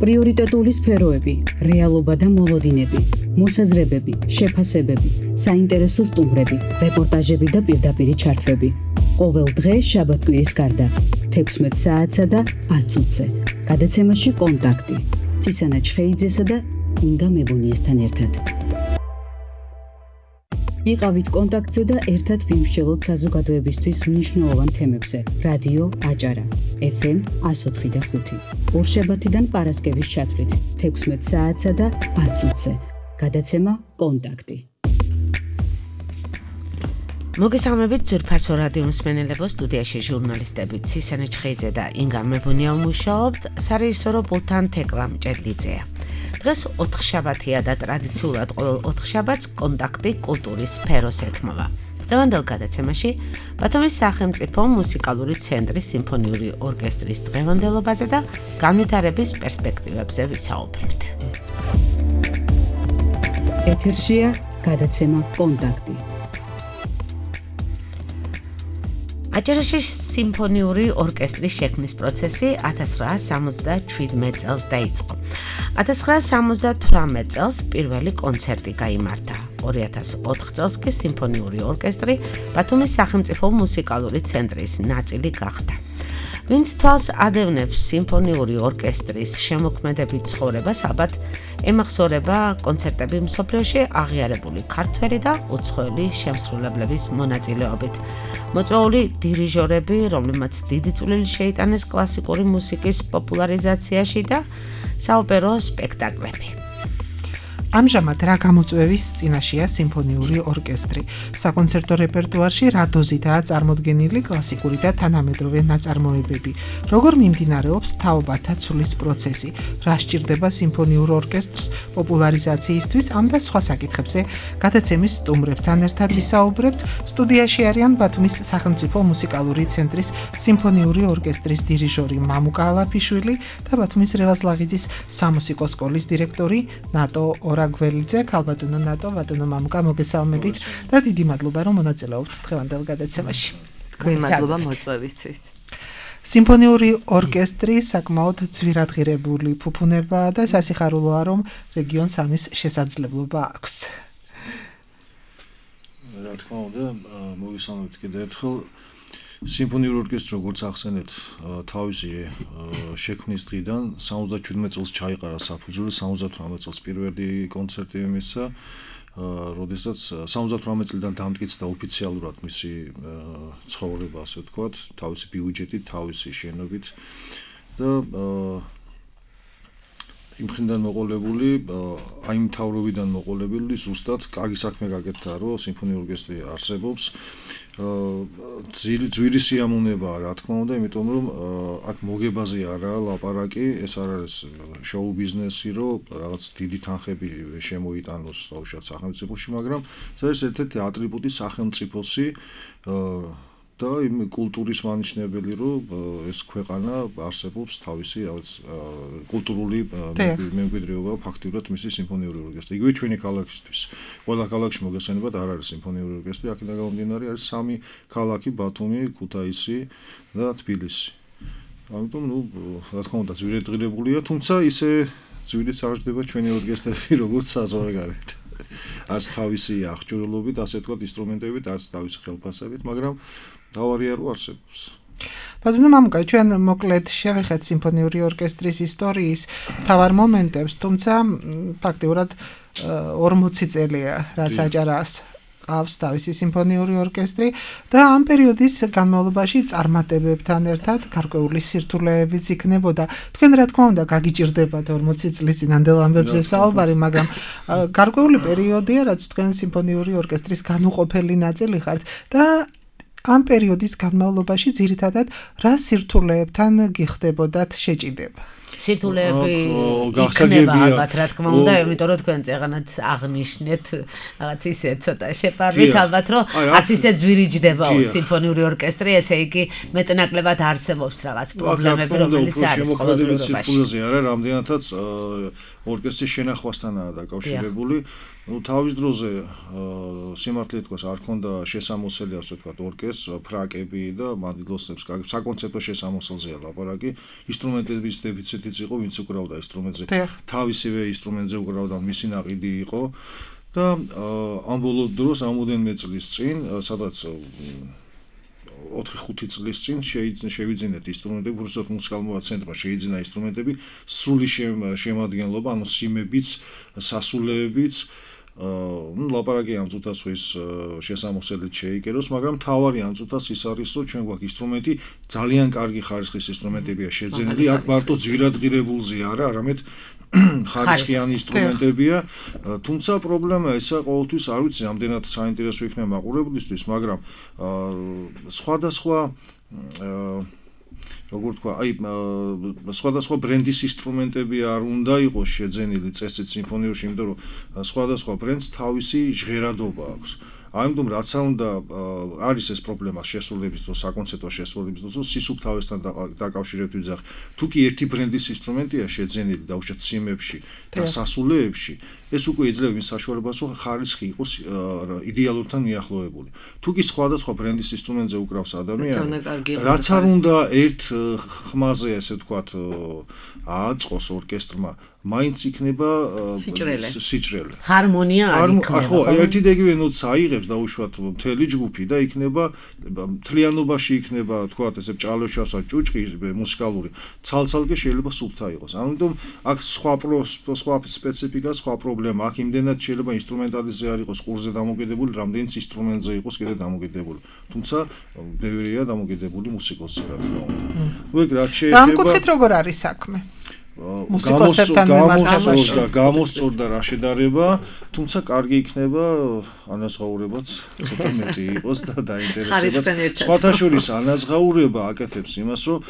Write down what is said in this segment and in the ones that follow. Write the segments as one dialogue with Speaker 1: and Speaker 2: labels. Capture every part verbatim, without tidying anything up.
Speaker 1: პრიორიტეტული სფეროები, რეალობა და მოლოდინები, მოსაზრებები, შეფასებები, საინტერესო სტუმრები, რეპორტაჟები და პირდაპირი ჩართვები. ყოველ დღე შაბათ-კვირის გარდა, თექვსმეტ საათსა და ათ წუთზე. გადაცემაში კონტაქტი. წისანა ჩხეიძესა და ინგა მებუნიესთან ერთად. იყავით კონტაქტზე და ერთად ვიმსჯელოთ საზოგადოებისთვის მნიშვნელოვან თემებზე. რადიო აჭარა, ეფ ემ εκατო ოთხი და ხუთი. ორშაბათიდან პარასკევის ჩათვლით, თექვსმეტ საათსა და ათ წუთზე. გადაცემა კონტაქტი.
Speaker 2: მოგესალმებით ძვირფასო რადიო მსმენელებო, სტუდიაში ჟურნალისტები წისანა ჩხეიძე და ინგა მებუნია მუშაობთ, სარეჟისორო პულტთან თეკლა მჭედლიძეა. დღეს ოთხშაბათია და ტრადიციულად ყოველ ოთხშაბათს კონტაქტი კულტურის სფეროს ეთმობა. დღევანდელ გადაცემაში ბათუმის სახელმწიფო მუსიკალური ცენტრის სიმფონიური ორკესტრის დღევანდელობაზე და განვითარების პერსპექტივებზე ვისაუბრებთ.
Speaker 1: ეთერშია გადაცემა კონტაქტი.
Speaker 2: აჭარაში სიმფონიური ორკესტრის შექმნის პროცესი ათას ცხრაას სამოცდაშვიდმეტ წელს დაიწყო. ათას ცხრაას სამოცდათვრამეტ წელს პირველი კონცერტი გაიმართა. ორი ათას ოთხ წელს კი სიმფონიური ორკესტრი ბათუმის სახელმწიფო მუსიკალური ცენტრის ნაწილი გახდა. ვინც თვალს ადევნებს სიმფონიური ორკესტრის შემოქმედებით ცხოვრებას, ალბათ ემახსოვრება კონცერტები მსოფლიოში აღიარებული ქართველი და უცხოელი შემსრულებლების მონაწილეობით. მოწვეული დირიჟორები, რომლებმაც დიდი წვლილი შეიტანეს კლასიკური მუსიკის პოპულარიზაციაში და საოპერო სპექტაკლები.
Speaker 3: ამჟამად რა გამოწვევის წინაშეა სიმფონიური ორკესტრი? საკონცერტო რეპერტუარში რა დოზითაა წარმოდგენილი კლასიკური და თანამედროვე ნაწარმოებები? როგორ მიმდინარეობს თაობათა ცვლის პროცესი? რა სჭირდება სიმფონიურ ორკესტრს პოპულარიზაციისთვის? ამ და სხვა საკითხებზე გადაცემის სტუმრებთან ერთად ვისაუბრებთ. სტუდიაში არიან ბათუმის სახელმწიფო მუსიკალური ცენტრის სიმფონიური ორკესტრის დირიჟორი მამუკა ალაფიშვილი და ბათუმის რევაზ-ლაღიძის სამუსიკო სკოლის დირექტორი ნატო გველიძე. ქალბატონო ნატო, ბატონო მამუკა, მოგესალმებით და დიდი მადლობა რომ მონაწილეობთ დღევანდელ გადაცემაში.
Speaker 4: თქვენ მადლობა მოწვევისთვის.
Speaker 3: სიმფონიური ორკესტრი საკმაოდ ძვირადღირებული ფუფუნება და სასიხარულოა რომ რეგიონს ამის შესაძლებლობა აქვს.
Speaker 5: რა თქმა უნდა, მოგესალმებით კიდევ ერთხელ. სიმფონიური ორკესტრი, როგორც ახსენეთ, თავისი შექმნის დღიდან სამოცდაშვიდმეტ წელს ჩაიყარა საფუძველი, სამოცდათვრამეტ წელს პირველი კონცერტი მისცა, როდესაც სამოცდათვრამეტ წლიდან დამტკიცდა ოფიციალურად მისი ცხოვრება, ასე ვთქვათ, თავისი ბიუჯეტით, თავისი შენობით და იმხნიდან მოყოლებული, აი მთავრობიდან მოყოლებული ზუსტად კარგი საქმე გაკეთდა, რომ სიმფონიური ორკესტრი არსებობს. ძვირი სიამოვნებაა, რა თქმა უნდა, იმიტომ რომ აქ მოგებაზე არაა ლაპარაკი, ეს არ არის შოუ ბიზნესი, რომ რაღაც დიდი თანხები შემოიტანოს საუშად სახელმწიფოში, მაგრამ ეს არის ერთ-ერთი ატრიბუტი სახელმწიფოსი და იმ კულტურის მანიშნებელი, რომ ეს ქვეყანა არსებობს თავისი რაღაც კულტურული მემკვიდრეობა ფაქტიურად მისი სიმფონიური ორკესტრი. იგივე ჩვენი ქალაქისთვის. ყველა ქალაქში მოგესალმებით არ არის სიმფონიური ორკესტრი, აქედან გამომდინარე არის სამი ქალაქი: ბათუმი, ქუთაისი და თბილისი. ამიტომ, ნუ, რა თქმა უნდა, ძვირადღირებულია, თუმცა ისე ძვირიც არ ჯდება ჩვენი ორკესტრები, როგორც საზღვარგარეთ. არც თავისი აღჭურვილობით, ასე ვთქვათ, ინსტრუმენტებით, არც თავისი ხელფასებით, მაგრამ დავარია რომ არსებობს.
Speaker 3: ბატონო მამუკა, ჩვენ მოკლედ შევეხეთ სიმფონიური ორკესტრის ისტორიის მთავარ მომენტებს, თუმცა ფაქტიურად ორმოცი წელია, რაც აჭარას ყავს თავისი სიმფონიური ორკესტრი და ამ პერიოდის განმავლობაში წარმატებებთან ერთად გარკვეული სირთულეებიც იქნებოდა. თქვენ რა თქმა უნდა გაგიჭირდებათ ორმოცი წლის წინანდელ ამბებზე საუბარი, მაგრამ გარკვეული პერიოდია, რაც თქვენ სიმფონიური ორკესტრის განუყოფელი ნაწილი ხართ და ამ პერიოდის განმავლობაში ძირითადად რა სირთულეებთან გიხდებოდათ შეჭიდება?
Speaker 2: სირთულეები იქნება ალბათ, რა თქმა უნდა, იმიტომ რომ თქვენ წეღანაც აღნიშნეთ რაღაც ისე ცოტა შეპარვით, ალბათ რომ არც ისე ძვირი ჯდებაო სიმფონიური ორკესტრი, ესე იგი მეტნაკლებად არსებობს რაღაც პრობლემები, რომელიც არის ყოველდღიურობაში.
Speaker 5: არა, რამდენადაც ორკესტრის შენახვასთანაა დაკავშირებული. ну თავის დროზე სიმართლე თქვას არ ქონდა შესამოსელი ასე ვთქვათ ორკესტრს ფრაკები და მანდილოსებს საკონცერტო შესამოსელზეა ლაპარაკი ინსტრუმენტების დეფიციტი ესეთიც იყო, ვინც უკრავდა ინსტრუმენტზე. თავისივე ინსტრუმენტზე უკრავდა, მისი ნაყიდი იყო და ამ ბოლო დროს ამოდენმე წლის წინ, სადაც ოთხი ხუთი წლის წინ შევიძინეთ ინსტრუმენტები, უბრალოდ მუსიკალურ ცენტრმა შეიძინა ინსტრუმენტები სრული შემადგენლობა, ანუ სიმებიც, სასულეებიც, ну, ლაპარაკი ამ წუთასთვის შესამოსელით შეიკეროს, მაგრამ თავარი ამ წუთას ის არის, რომ ჩვენ გვაქვს ინსტრუმენტი, ძალიან კარგი ხარისხის ინსტრუმენტებია შეძენილი, აქ მარტო ძვირადღირებულზე არა, არამედ ხარისხიანი ინსტრუმენტებია, თუმცა პრობლემა ისა ყოველთვის არ ვიცი, ამდენად საინტერესო იქნება მაყურებლისთვის, მაგრამ სხვადასხვა როგორ თქვა, აი სხვადასხვა ბრენდის ინსტრუმენტები არ უნდა იყოს შეძენილი წესით სიმფონიურში, იმიტომ რომ სხვადასხვა ბრენდს თავისი ჟღერადობა აქვს. ამიტომ რაც არ უნდა არის ეს პრობლემა შესრულების დროს, საკონცერტო შესრულების დროს, სისუფთავესთან დაკავშირებით ვიძახი. თუ კი ერთი ბრენდის ინსტრუმენტია შეძენილი დაუშვათ სიმებში და სასულეებში, ეს უკვე იძლევა იმ საშუალებას, რომ ხარისხი იყოს იდეალურთან მიახლოებული. თუ კი სხვადასხვა ბრენდის ინსტრუმენტზე უკრავს ადამიანი, რაც არ უნდა ერთ ხმაზე, ესე ვთქვათ, ააწყოს ორკესტრმა, მაინც იქნება სიჭრელე.
Speaker 2: ჰარმონია არ იქნება.
Speaker 5: ხო, ერთი და იგივე ნოტს აიღებს დაუშვათ მთელი ჯგუფი და იქნება მთლიანობაში იქნება, ვთქვათ, ესე ჭალოშასა ჭუჭყი მუსიკალური, ცალ-ცალკე შეიძლება სუფთა იყოს. ამიტომ აქ სხვა სხვა სპეციფიკა, სხვა პრობლემა, აქ იმდენად შეიძლება ინსტრუმენტალიზმი არ იყოს ყურზე დამოკიდებული, რამდენიც ინსტრუმენტზე იყოს კიდე დამოკიდებული. თუმცა ბევრია დამოკიდებული მუსიკოსზე, რა თქმა უნდა. ნუ ეგ რაც შეიძლება.
Speaker 3: ამ კუთხით როგორ არის საქმე? მუსიკოსებთან
Speaker 5: გამოსწორდა, გამოსწორდა რა შედარება, თუმცა კარგი იქნება ანაზღაურებაც ცოტა მეტი იყოს და დაინტერესებაც. სხვათა შორის ანაზღაურება აკეთებს იმას, რომ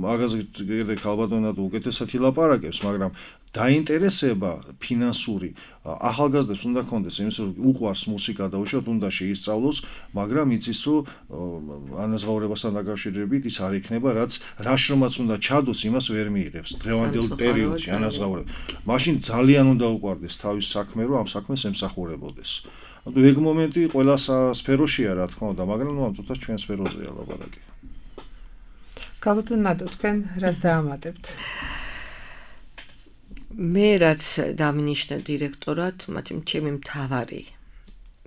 Speaker 5: მაგაზე კიდე ქალბატონად უკეთესად ილაპარაკებს, მაგრამ დაინტერესება ფინანსური ახალგაზრდებს უნდა კონდეს იმის რომ უყვარს მუსიკა და უშუალოდ უნდა შეისწავლოს, მაგრამ იცის რომ ანაზღაურებასთან დაკავშირებით ის არ იქნება, რაც რა შრომაც უნდა ჩადოს, იმას ვერ მიიღებს დღევანდელ პერიოდში ანაზღაურება. მაშინ ძალიან უნდა უყვარდეს თავის საქმე, რომ ამ საქმეს ემსახურებოდეს. ანუ ეგ მომენტი ყველა სფეროშია, რა თქმა უნდა, მაგრამ ნუ ამ წუთას ჩვენ სფეროზეა ლაპარაკი.
Speaker 3: ქალბატონ ნადო, თქვენ რას დაამატებთ?
Speaker 4: მე რაც დავინიშნე დირექტორად, მათი ჩემი მთავარი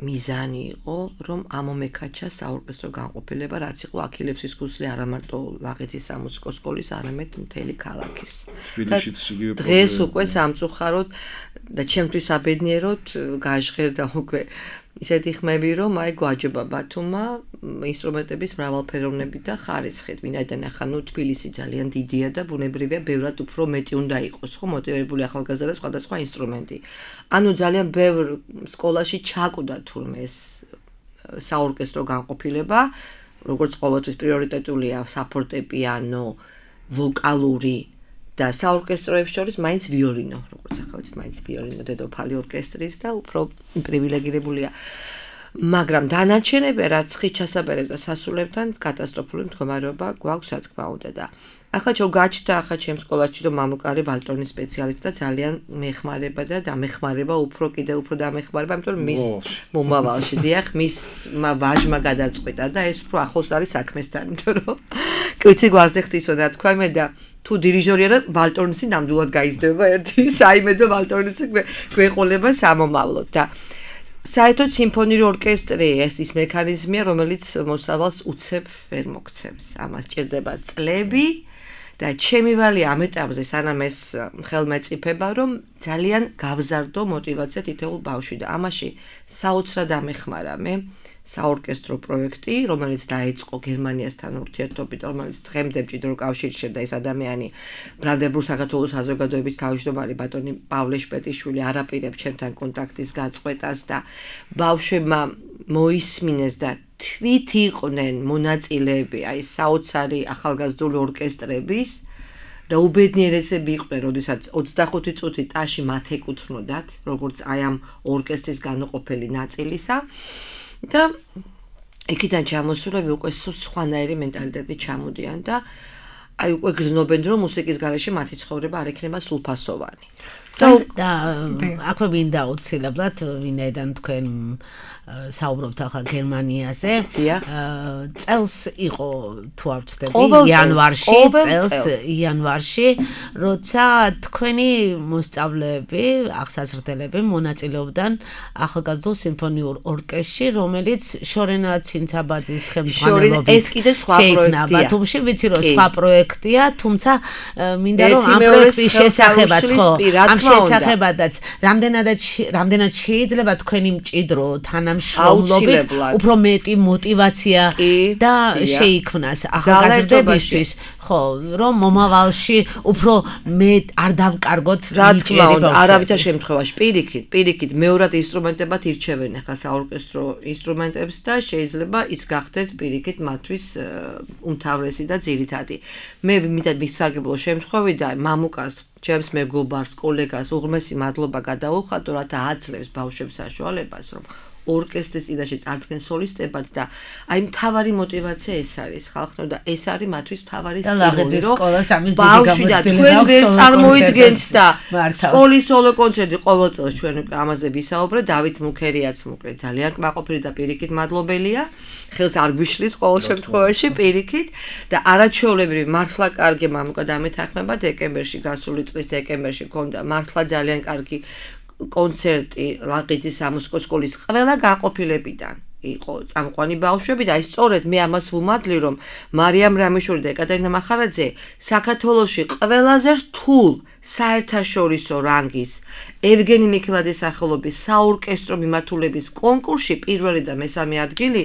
Speaker 4: მიზანი იყო, რომ ამომეკაჩა საორკესტრო განყოფილება, რაც იყო აქილევსის ქუსლი არა მარტო ლაღეთის სამუსიკო სკოლის, არამედ მთელი ქალაქის.
Speaker 5: თბილისშიც იგივე პრობლემა.
Speaker 4: დღეს უკვე სამწუხაროდ და ჩემთვის აბედნიეროდ გაჟღერდა უკვე ისეთი ხმები, რომ აი გვაჯობა ბათუმმა ინსტრუმენტების მრავალფეროვნებით და ხარისხით. ვინაიდან ახლა ნუ თბილისი ძალიან დიდია და ბუნებრივია, ბევრად უფრო მეტი უნდა იყოს, ხო, მოტივირებული ახალგაზრდა სხვადასხვა ინსტრუმენტი. ანუ ძალიან ბევრ სკოლაში ჩაკვდა თურმე ეს საორკესტრო განყოფილება, როგორც ყოველთვის პრიორიტეტულია საფორტეპიანო, ვოკალური და საორკესტროებს შორის მაინც ვიოლინო, როგორც ახლა ვიცით, მაინც ვიოლინო დედოფალი ორკესტრის და უფრო პრივილეგირებულია. მაგრამ დანარჩენები, რაც ხით ჩასაბერებს და სასულებთან კატასტროფული მდგომარეობა გვაქვს, რა თქმა უნდა და ახლა ჩვენ გაჩნდა ახლა ჩემს სკოლაში რომ მამუკარი ვალტონის სპეციალისტი და ძალიან მეხმარება და დამეხმარება, უფრო კიდე უფრო დამეხმარება, იმიტომ რომ მის მომავალში დიახ, მის ვაჟმა გადაწყვიტა და ეს უფრო ახლოს არის საქმესთან, იმიტომ რომ კიცი გვარზე ხთისო და თქვა მე და თუ დირიჟორი არა ვალტონისი ნამდვილად გაიზრდება ერთი საიმე და ვალტონისი გვეყოლება სამომავლოდ და საერთოდ სიმფონიური ორკესტრი ეს ის მექანიზმია, რომელიც მოსავალს უცებ ვერ მოგცემს. ამას ჭირდება წლები და ჩემი ვალი ამ ეტაპზე სანამ ეს ხელმეწიფება, რომ ძალიან გავზარდო მოტივაცია თითოეულ ბავშვი და ამაში საოცრად ამეხმარა მე საორკესტრო პროექტი, რომელიც დაიწყო გერმანიასთან ურთიერთობით, რომელიც დღემდე მჭიდრო კავშირში და ეს ადამიანი ბრანდენბურგ საქართველოს საზოგადოების თავმჯდომარე ბატონი პავლე შპეტიშვილი არაპირებს ჩემთან კონტაქტის გაწყვეტას და ბავშვებმა მოისმინეს და თვით იყვნენ მონაწილეები აი საოცარი ახალგაზრდული ორკესტრების და უბედნიერესები იყვნენ, როდესაც ოცდახუთი წუთი ტაში მათ ეკუთვნოდათ, როგორც აი ამ ორკესტრის განუყოფელი ნაწილისა. და იქიდან ჩამოსულები უკვე სხვანაირი მენტალიტეტი ჩამოდიან და აი უკვე გრძნობენ რომ მუსიკის გარეშე მათი ცხოვრება არ იქნება სულფასოვანი.
Speaker 2: და აქვე მინდა აუცილებლად ვინაიდან თქვენ საუბრობთ ახლა გერმანიაზე. წელს იყო თუ არ ვცდები იანვარში, წელს იანვარში, როცა თქვენი მოსწავლეები, აღსაზრდელები მონაწილეობდნენ ახალგაზრდულ სიმფონიურ ორკესტრში, რომელიც შორენა ცინცაბაძის ხელმძღვანელობით
Speaker 4: ეს კიდე სხვა პროექტია.
Speaker 2: თუმცა ვიცი რომ სხვა პროექტია, თუმცა მინდა რომ ამ პროექტის შესახებაც ხო, ამ შესახებადაც რამდენადაც რამდენად შეიძლება თქვენი მჭიდრო თანამშრომლობით უფრო მეტი мотиваცია და შეიქმნას ახალგაზრდებისთვის, ხო, რომ მომავალში უფრო მე არ დავკარგოთ
Speaker 4: ნიჭიერი ბავშვები. არავითარ შემთხვევაში პირიქით, პირიქით მეორად ინსტრუმენტებად ირჩევენ ახლა საორკესტრო ინსტრუმენტებს და შეიძლება ის გახდეთ პირიქით მათთვის უმთავრესი და ძირითადი. მე მინდა მისარგებლო შემთხვევიდან მამუკას ჩემს მეგობარს, კოლეგას უღრმესი მადლობა გადაუხადო, რათა აძლევს ბავშვებს საშუალებას, რომ ორკესტრის წინაშე წარდგენ სოლისტებად და აი მთავარი мотиваცია ეს არის ხალხო და ეს არის მათთვის მთავარი სტიმული, რომ ბავშვი და თქვენ ვერ წარმოიდგენთ და სკოლის სოლო კონცერტი ყოველ წელს ჩვენ ამაზე ვისაუბრეთ, დავით მუქერიაც მოკლედ ძალიან კმაყოფილი და პირიქით მადლობელია. ხელს არ გვიშლის ყოველ შემთხვევაში პირიქით და არაჩვეულებრივი მართლა კარგი მამუკა დამეთანხმება დეკემბერში, გასული წლის დეკემბერში ქონდა მართლა ძალიან კარგი კონცერტი ლაყიძის სამუსიკო სკოლის ყველა გაყოფილებიდან იყო წამყვანი ბავშვები და აი სწორედ მე ამას ვუმადლი, რომ მარიამ რამიშვილი და ეკატერინა მახარაძე საქართველოში ყველაზე რთულ საერთაშორისო რანგის ევგენი მიქელაძის სახელობის საორკესტრო მიმართულების კონკურსში პირველი და მესამე ადგილი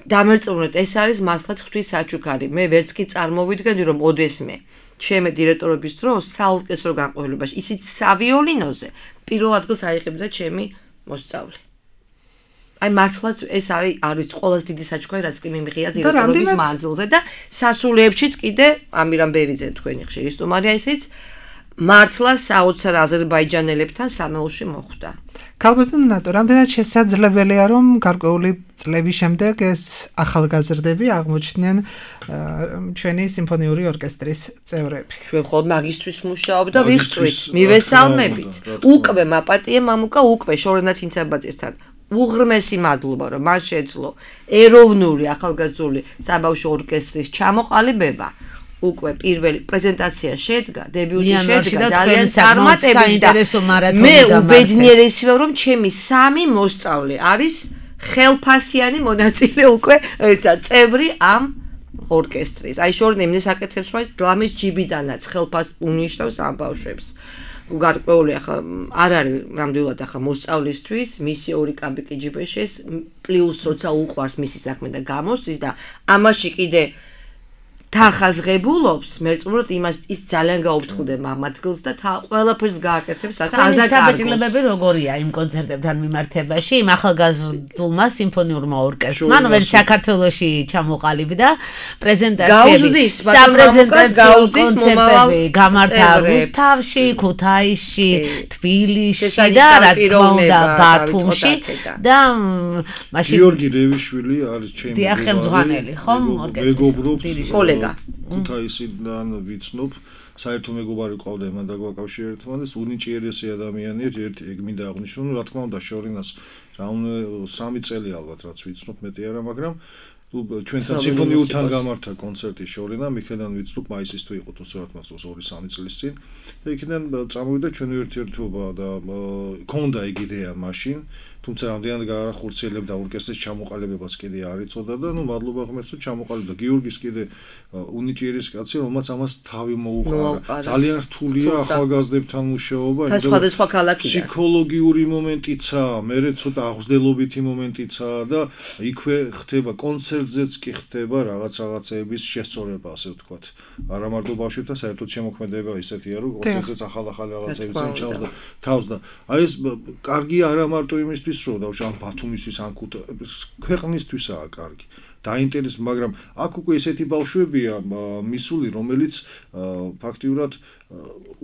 Speaker 4: დამერწმუნეთ, ეს არის მართლაც ღვთის საჩუქარი. მე ვერც კი წარმოვიდგენდი, რომ ოდესმე ჩემი დირექტორობის დროს საორკესტრო განყოფილებაში ისიც სავიოლინოზე პირველ ადგილს აიღებდა ჩემი მოსწავლე. აი მართლაც ეს არის არის ყველაზე დიდი საჩუქარი, რაც კი მიმიღია დირექტორობის მანძილზე და სასულეებშიც კიდე ამირამ ბერიძე თქვენი ხშირი სტუმარია ისიც მართლა საოცარ აზერბაიჯანელებთან სამეულში მოხვდა.
Speaker 3: ქალბატონო ნატო, რამდენად შესაძლებელია რომ გარკვეული წლების შემდეგ ეს ახალგაზრდები აღმოჩნდნენ ჩვენი სიმფონიური ორკესტრის წევრები?
Speaker 4: ჩვენ მხოლოდ მაგისტრის მუშაობ და ვიხსვით, მივესალმებით. უკვე მაპატიე მამუკა, უკვე შორენა ცინცაბაძესთან უღრმესი მადლობა, რომ მას შეძლო ეროვნული ახალგაზრდული საბავშვო ორკესტრის ჩამოყალიბება. უკვე პირველი პრეზენტაცია შედგა, დებიუტი შედგა, ძალიან წარმატებით და მე უბედნიერესი ვარ, რომ ჩემი სამი მოსწავლე არის ხელფასიანი მონაწილე უკვე ესა წევრი ამ ორკესტრის. აი შორნე მინდა საკეთებს რომ დლამის ჯიბიდანაც ხელფას უნიშნავს ამ ბავშვებს. გარკვეული ახლა არ არის ნამდვილად ახლა მოსწავლისთვის, მისი ორი კაბიკი ჯიბეშეს, პლუს როცა უყვარს მისი საქმე და გამოსდის და ამაში კიდე თანხაზღებულობს, მერწმუნოთ იმას ის ძალიან გაუფრთხდება ამ ადგილს და ყველაფერს გააკეთებს, რათა არ დაკარგოს.
Speaker 2: საბჭოლებები როგორია იმ კონცერტებთან მიმართებაში, იმ ახალგაზრდულმა სიმფონიურმა ორკესტრმა, რომელიც საქართველოში ჩამოყალიბდა, პრეზენტაციები, საპრეზენტაციო კონცერტები გამართა რუსთავში, ქუთაისში, თბილისში და რა თქმა უნდა ბათუმში და
Speaker 5: მაშინ გიორგი რევიშვილი არის ჩემი
Speaker 2: ხელმძღვანელი, ხომ ორკესტრის
Speaker 5: ქუთაისიდან ვიცნობ, საერთო მეგობარი ყავდა იმან დაგვაკავშირებთან და უნიჭიერესი ადამიანია, ერთი ეგ მინდა აღნიშნო, რა თქმა უნდა შორინას რა სამი წელი ალბათ რაც ვიცნობ, მეტი არა, მაგრამ ჩვენთან სიმფონიურთან გამართა კონცერტი შორინა, მიქედან ვიცნობ მაისის თუ იყო თორსარათ მახსოვს ორი სამი წლის წინ და იქიდან წამოვიდა ჩვენი ურთიერთობა და ქონდა ეგ იდეა მაშინ, თუმცა რამდენად გაახორციელებდა ორკესტრის ჩამოყალიბებას კიდე არ იცოდა და ნუ მადლობა ღმერთს რომ ჩამოყალიბდა. გიორგის კიდე უნიჭიერეს კაცი, რომელმაც ამას თავი მოუყარა. ძალიან რთულია ახალგაზრდებთან მუშაობა,
Speaker 4: და სხვადასხვა ქალაქიდან.
Speaker 5: ფსიქოლოგიური მომენტიცა, მერე ცოტა აღზრდილობითი მომენტიცა და იქვე ხდება კონცერტზეც კი ხდება რაღაც რაღაცეების შესწორება, ასე ვთქვათ. არა მარტო ბავშვებთან, საერთოდ შემოქმედება ისეთია, რომ კონცერტზეც ახალ-ახალ რაღაცეებს ემჩავს და თავს და აი ეს კარგი არა მარტო იმისთვის რომ და ამ ბათუმისთვის ან ქვეყნისთვისაა კარგი. დაინტერესებს, მაგრამ აქ უკვე ესეთი ბავშვებია მისული, რომელიც ფაქტიურად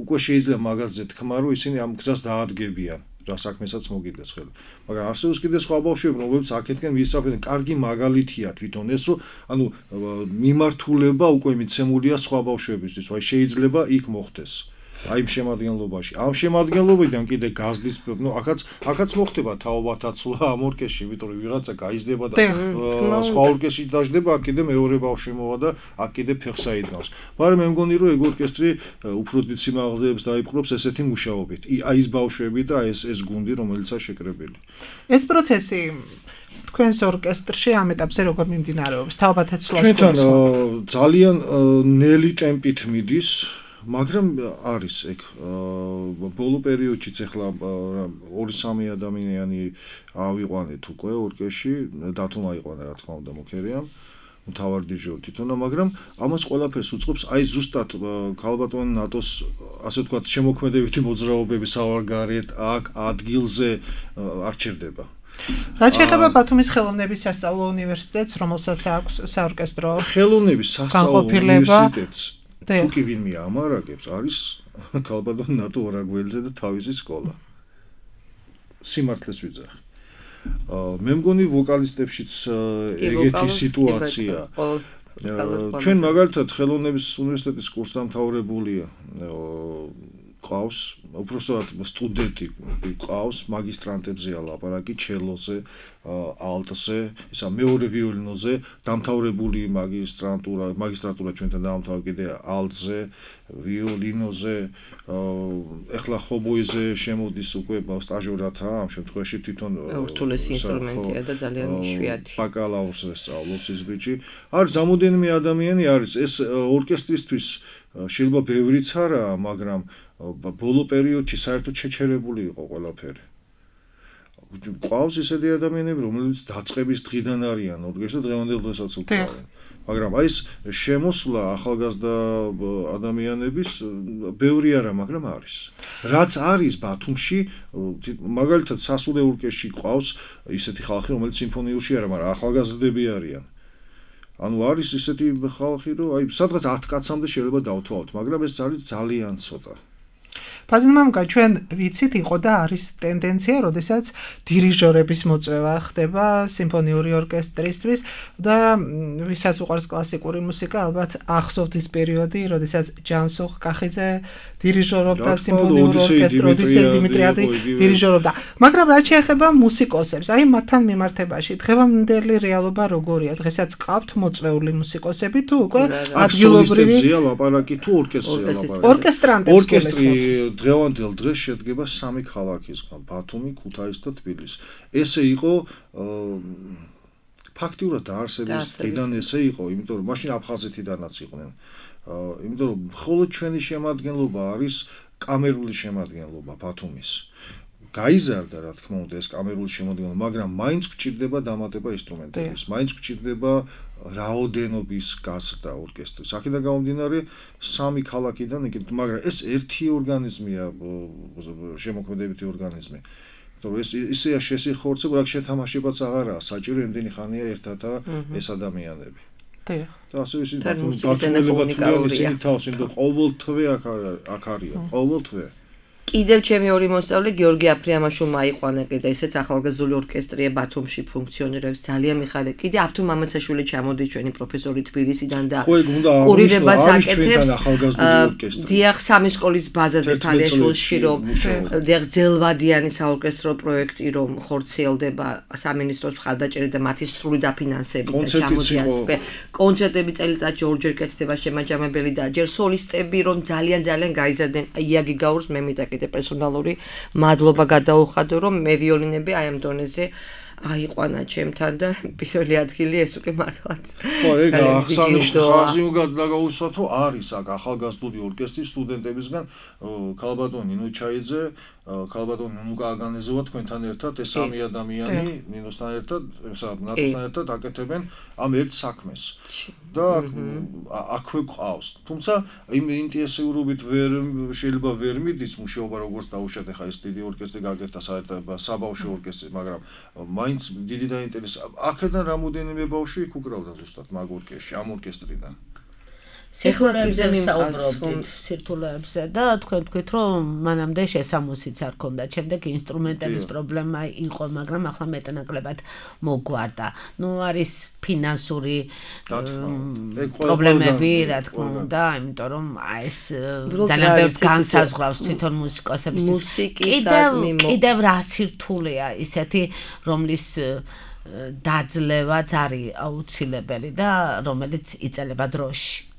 Speaker 5: უკვე შეიძლება მაგაზე თქმა, რომ ისინი ამ გზას დაადგებიან. რა საქმესაც მოგიდეს ხელი. მაგრამ არსებობს კიდე სხვა ბავშვები, რომლებიც აქეთკენ ვისწავლენ, კარგი მაგალითია თვითონ ეს, რომ ანუ მიმართულება უკვე მიცემულია სხვა ბავშვებისთვის, აი შეიძლება იქ მოხდეს. აი ამ შემადგენლობაში. ამ შემადგენლობიდან კიდე გაზდის, ნუ აქაც აქაც მოხდება თაობათაცვლა ამ ორკესტრში, იმიტომ რომ ვიღაცა გაიზრდება და სხვა ორკესტრში დაждდება, აქ კიდე მეორე ბავშვი მოვა და აქ კიდე ფეხს აიდგავს. მაგრამ მე მგონი რომ ეგ ორკესტრი უფრო დიდ სიმაღლეებს დაიპყრობს ესეთი მუშაობით. აი ეს ბავშვები და ეს ეს გუნდი, რომელიცაა შეკრებილი.
Speaker 3: ეს პროცესი თქვენს ორკესტრში ამ ეტაპზე როგორ მიმდინარეობს? თაობათაცვლას
Speaker 5: ჩვენთან ძალიან ნელი ტემპით მიდის, მაგრამ არის ეგ ბოლო პერიოდშიც ახლა ორი სამი ადამიანი ავიყვანეთ უკვე ორკესტრში, დათუმა იყვანა რა თქმა უნდა მუქერია. მთავარ დირიჟორი თვითონა, მაგრამ ამას ყველაფერს უწყობს აი ზუსტად ქალბატონ ნატოს ასე ვთქვათ შემოქმედებითი მოძრაობები სავარგარეთ აქ ადგილზე არ ჩერდება.
Speaker 3: რაც შეეხება ბათუმის ხელოვნების სასწავლო უნივერსიტეტს, რომელსაც აქვს საორკესტრო
Speaker 5: ხელოვნების სასწავლო უნივერსიტეტს თუ კი ვინმე ამარაგებს, არის ქალბატონ ნატო ორაგველიძე და თავისი სკოლა. სიმართლეს ვიძახი. მე მგონი ვოკალისტებშიც ეგეთი სიტუაცია. ჩვენ მაგალითად ხელოვნების უნივერსიტეტის კურსდამთავრებულია ყავს, უბრალოდ სტუდენტი ყავს, მაგისტრანტებზეა ლაპარაკი, ჩელოზე, ალტზე, ისა მეორე ვიოლინოზე, დამთავრებული მაგისტრანტურა, მაგისტრატურა ჩვენთან დაამთავრა კიდე ალტზე, ვიოლინოზე, ეხლა ხობოიზე შემოდის უკვე სტაჟორათა, ამ შემთხვევაში თვითონ
Speaker 4: ურთულესი ინსტრუმენტია და ძალიან იშვიათი.
Speaker 5: ბაკალავრს სწავლობს ის ბიჭი. არის რამოდენიმე ადამიანი არის ეს ორკესტრისთვის შეიძლება ბევრიც არაა, მაგრამ ბოლო პერიოდში საერთოდ შეჩერებული იყო ყველაფერი. ყავს ისეთი ადამიანები, რომლებიც დაწყების დღიდან არიან ორკესტრში და დღევანდელ დღესაც უკვე არიან. მაგრამ აი ეს შემოსვლა ახალგაზრდა ადამიანების ბევრი არა, მაგრამ არის. რაც არის ბათუმში, მაგალითად სასულე ორკესტრში ყავს ისეთი ხალხი, რომელიც სიმფონიურში არა, მაგრამ ახალგაზრდები არიან. ანუ არის ისეთი ხალხი, რომ აი სადღაც ათ კაცამდე შეიძლება დავთვალოთ, მაგრამ ეს არის ძალიან ცოტა.
Speaker 3: ფადინმამკა, ჩვენ ვიცით, იყო და არის ტენდენცია, როდესაც დირიჟორების მოწვევა ხდება სიმფონიური ორკესტრისთვის და ვისაც უყვარს კლასიკური მუსიკა, ალბათ ახსოვთ ის პერიოდი, როდესაც ჯანსუღ კახიძე დირიჟორობდა სიმფონიურ ორკესტრს, ოდისეი დიმიტრიადი დირიჟორობდა. მაგრამ რაც შეეხება მუსიკოსებს, აი მათთან მიმართებაში, დღევანდელი რეალობა როგორია? დღესაც ყავთ მოწვეული მუსიკოსები თუ უკვე ადგილობრივი
Speaker 5: ლაპარაკი თუ ორკესტრია ლაპარაკი?
Speaker 3: ორკესტრანტებს
Speaker 5: ორკესტრი დღევანდელ დღეს შედგება სამი ქალაქისგან: ბათუმი, ქუთაისი და თბილისი. ესე იყო ფაქტიურად დაარსების დღიდან ესე იყო, იმიტომ რომ მაშინ აფხაზეთიდანაც იყვნენ. იმიტომ რომ მხოლოდ ჩვენი შემადგენლობა არის კამერული შემადგენლობა ბათუმის. გაიზარდა რა თქმა უნდა ეს კამერული შემადგენლობა, მაგრამ მაინც გვჭირდება დამატება ინსტრუმენტების, მაინც გვჭირდება რაოდენობის გაზრდა ორკესტრის. აქედან გამომდინარე სამი ქალაქიდან, მაგრამ ეს ერთი ორგანიზმია, შემოქმედებითი ორგანიზმი. იმიტომ რომ ეს ისეა შესიხორცება, რა შეთამაშებაც აღარაა, საჭირო იმდენი ხანია ერთათა ეს ადამიანები.
Speaker 3: დიახ.
Speaker 5: და ასე ისინი ბათუმელება თვლიან ისინი თავს, იმიტომ ყოველთვე აქ აქ არიან, ყოველთვე.
Speaker 4: კიდევ ჩემი ორი მოსწავლე გიორგი აფრიამაშვილმა აიყვანა კიდე ესეც ახალგაზრდული ორკესტრია ბათუმში ფუნქციონირებს ძალიან მიხარია. კიდე ავთუ მამაცაშვილი ჩამოდის ჩვენი პროფესორი თბილისიდან და კურირებას აკეთებს. დიახ, სამი სკოლის ბაზაზე თალიშულში რომ დიახ ძელვადიანი საორკესტრო პროექტი რომ ხორციელდება სამინისტროს მხარდაჭერით და მათი სრული დაფინანსებით და ჩამოდიან კონცერტები წელიწადში ორჯერ კეთდება შემაჯამებელი და ჯერ სოლისტები რომ ძალიან ძალიან გაიზარდნენ. იაგი გაურს მე მიტაკი პერსონალური მადლობა გადაუხადო რომ მე ვიოლინები აი ამ დონეზე აიყვანა ჩემთან და პირველი ადგილი ეს უკვე მართლაც
Speaker 5: ხო ეგ აღსანიშნავი ხაზი უნდა დაგაუსვათ რომ არის აქ ახალგაზრდული ორკესტრის სტუდენტებისგან ქალბატონ ნინო ჩაიძე ქალბატონ ნუნუკა აგანეზოვა თქვენთან ერთად ეს სამი ადამიანი ნინოსთან ერთად ესა ნატოსთან ერთად აკეთებენ ამ ერთ საქმეს და აქვე ყავს თუმცა იმ ინტენსიურობით ვერ შეიძლება ვერ მიდის მუშაობა როგორც დაუშვათ ახლა ეს დიდი ორკესტრი გაკეთდა საერთოდ საბავშვო ორკესტრი მაგრამ მაინც დიდი დაინტერესა აქედან რამოდენიმე ბავშვი იქ უკრავდა ზუსტად მაგ ორკესტრში ამ ორკესტრიდან
Speaker 2: სირთულეებზე ვსაუბრობთ, სირთულეებზე და თქვენ თქვით, რომ მანამდე შესამოსიც არ ქონდა, შემდეგ ინსტრუმენტების პრობლემა იყო, მაგრამ ახლა მეტნაკლებად მოგვარდა. ნუ არის ფინანსური პრობლემები, რა თქმა უნდა, იმიტომ რომ ეს ძალიან ბევრს განსაზღვრავს თვითონ მუსიკოსებისთვის. კიდევ რა სირთულეა ისეთი, რომლის დაძლევაც არის აუცილებელი და რომელიც იწელება დროში.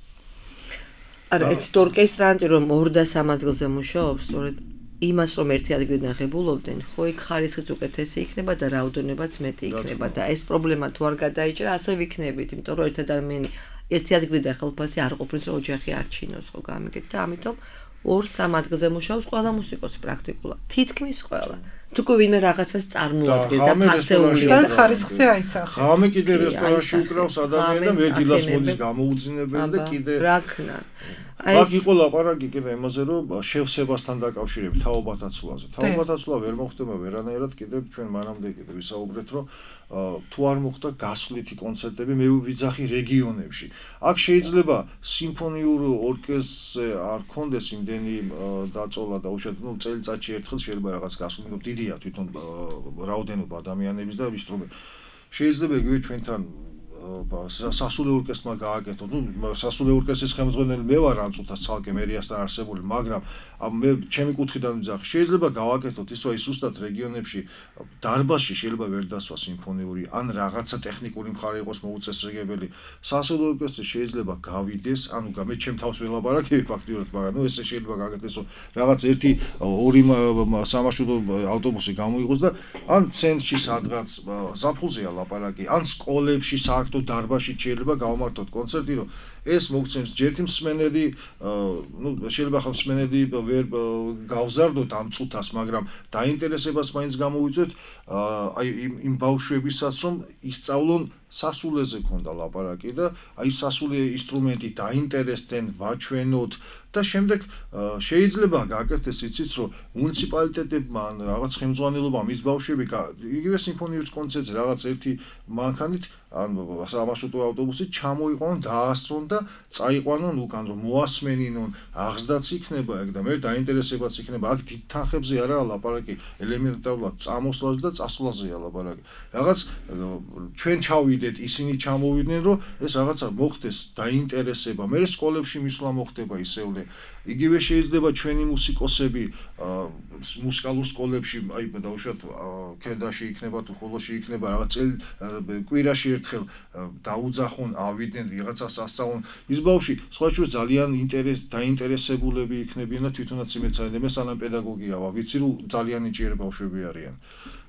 Speaker 4: არა, ერთ ორკესტრანტი რომ ორ და სამ ადგილზე მუშაობს, სწორედ იმას რომ ერთი ადგილიდან ღებულობდნენ, ხო იქ ხარისხიც უკეთესი იქნება და რაოდენობაც მეტი იქნება და ეს პრობლემა თუ არ გადაიჭრა, ასე ვიქნებით, იმიტომ რომ ერთ ადამიანი ერთი ადგილიდან ხელფასი არ ყოფნის რომ ოჯახი არ ჩინოს, ხო გამიგეთ და ამიტომ ორ სამ ადგილზე მუშაობს ყველა მუსიკოსი პრაქტიკულად. თითქმის ყველა. თუკი ვინმე რაღაცას წარმოადგენს და ფასეულია.
Speaker 3: და ხარისხზე აისახა.
Speaker 5: ღამე კიდე რესტორანში უკრავს ადამიანი და მე დილას მოდის გამოუძინებელი და კიდე
Speaker 4: რა ქნა.
Speaker 5: აქ იყო ლაპარაკი კიდე იმაზე, რომ შევსებასთან დაკავშირებით თაობათა ცვლაზე. თაობათა ცვლა ვერ მოხდება ვერანაირად, კიდე ჩვენ მანამდე კიდე ვისაუბრეთ, რომ თუ არ მოხდა გასვლითი კონცერტები მე ვიძახი რეგიონებში. აქ შეიძლება სიმფონიურ ორკესტრზე არ ქონდეს იმდენი დაწოლა და უშუალოდ ნუ წელიწადში ერთხელ შეიძლება რაღაც გასვლით დიდია თვითონ რაოდენობა ადამიანების და ინსტრუმენტ. შეიძლება იგივე ჩვენთან სასულე ორკესტრმა გააკეთო. ნუ სასულე ორკესტრის ხელმძღვანელი მე ვარ ამ წუთას ცალკე მერიასთან არსებული, მაგრამ მე ჩემი კუთხიდან ვიძახი, შეიძლება გავაკეთოთ ის, რომ ის უბრალოდ რეგიონებში დარბაზში შეიძლება ვერ დასვა სიმფონიური, ან რაღაცა ტექნიკური მხარე იყოს მოუწესრიგებელი. სასულე ორკესტრი შეიძლება გავიდეს, ანუ მე ჩემ თავს ველაპარაკები ფაქტიურად, მაგრამ ნუ ესე შეიძლება გააკეთეს, რომ რაღაც ერთი ორი სამარშრუტო ავტობუსი გამოიყოს და ან ცენტრში სადღაც ზაფხულზეა ლაპარაკი, ან სკოლებში საერთოდ დარბაზში შეიძლება გავმართოთ კონცერტი, რომ ეს მოგცემს ჯერთი მსმენელი, ნუ შეიძლება ხა მსმენელი ვერ გავზარდოთ ამ წუთას, მაგრამ დაინტერესებას მაინც გამოვიწვევთ აი იმ ბავშვებისაც, რომ ისწავლონ სასულეზე ქონდა ლაპარაკი და აი სასულე ინსტრუმენტი დაინტერესდნენ, ვაჩვენოთ და შემდეგ შეიძლება გააკეთდეს იცით, რომ მუნიციპალიტეტებმა ან რაღაც ხელმძღვანელობამ ის ბავშვები იგივე სიმფონიურ კონცერტზე რაღაც ერთი მანქანით ან სამარშრუტო ავტობუსით ჩამოიყვანონ, დაასწრონ და წაიყვანონ უკან, რომ მოასმენინონ, აღზრდაც იქნება ეგ და მე დაინტერესებაც იქნება. აქ დიდ თანხებზე არაა ლაპარაკი, ელემენტარულად წამოსვლაზე და წასვლაზეა ლაპარაკი. რაღაც ჩვენ ჩავიდეთ, ისინი ჩამოვიდნენ, რომ ეს რაღაცა მოხდეს დაინტერესება. მე სკოლებში მისვლა მოხდება ისევლე. იგივე შეიძლება ჩვენი მუსიკოსები მუსიკალურ სკოლებში, აი დაუშვათ ქედაში იქნება თუ ხოლოში იქნება რაღაც წელი კვირაში ერთხელ დაუძახონ, ავიდნენ, ვიღაცას ასწავლონ. ის ბავშვი სხვა შორის ძალიან დაინტერესებულები იქნებიან და თვითონაც იმეცადნენ, მე სანამ პედაგოგია ვარ, ვიცი რომ ძალიან ნიჭიერი ბავშვები არიან.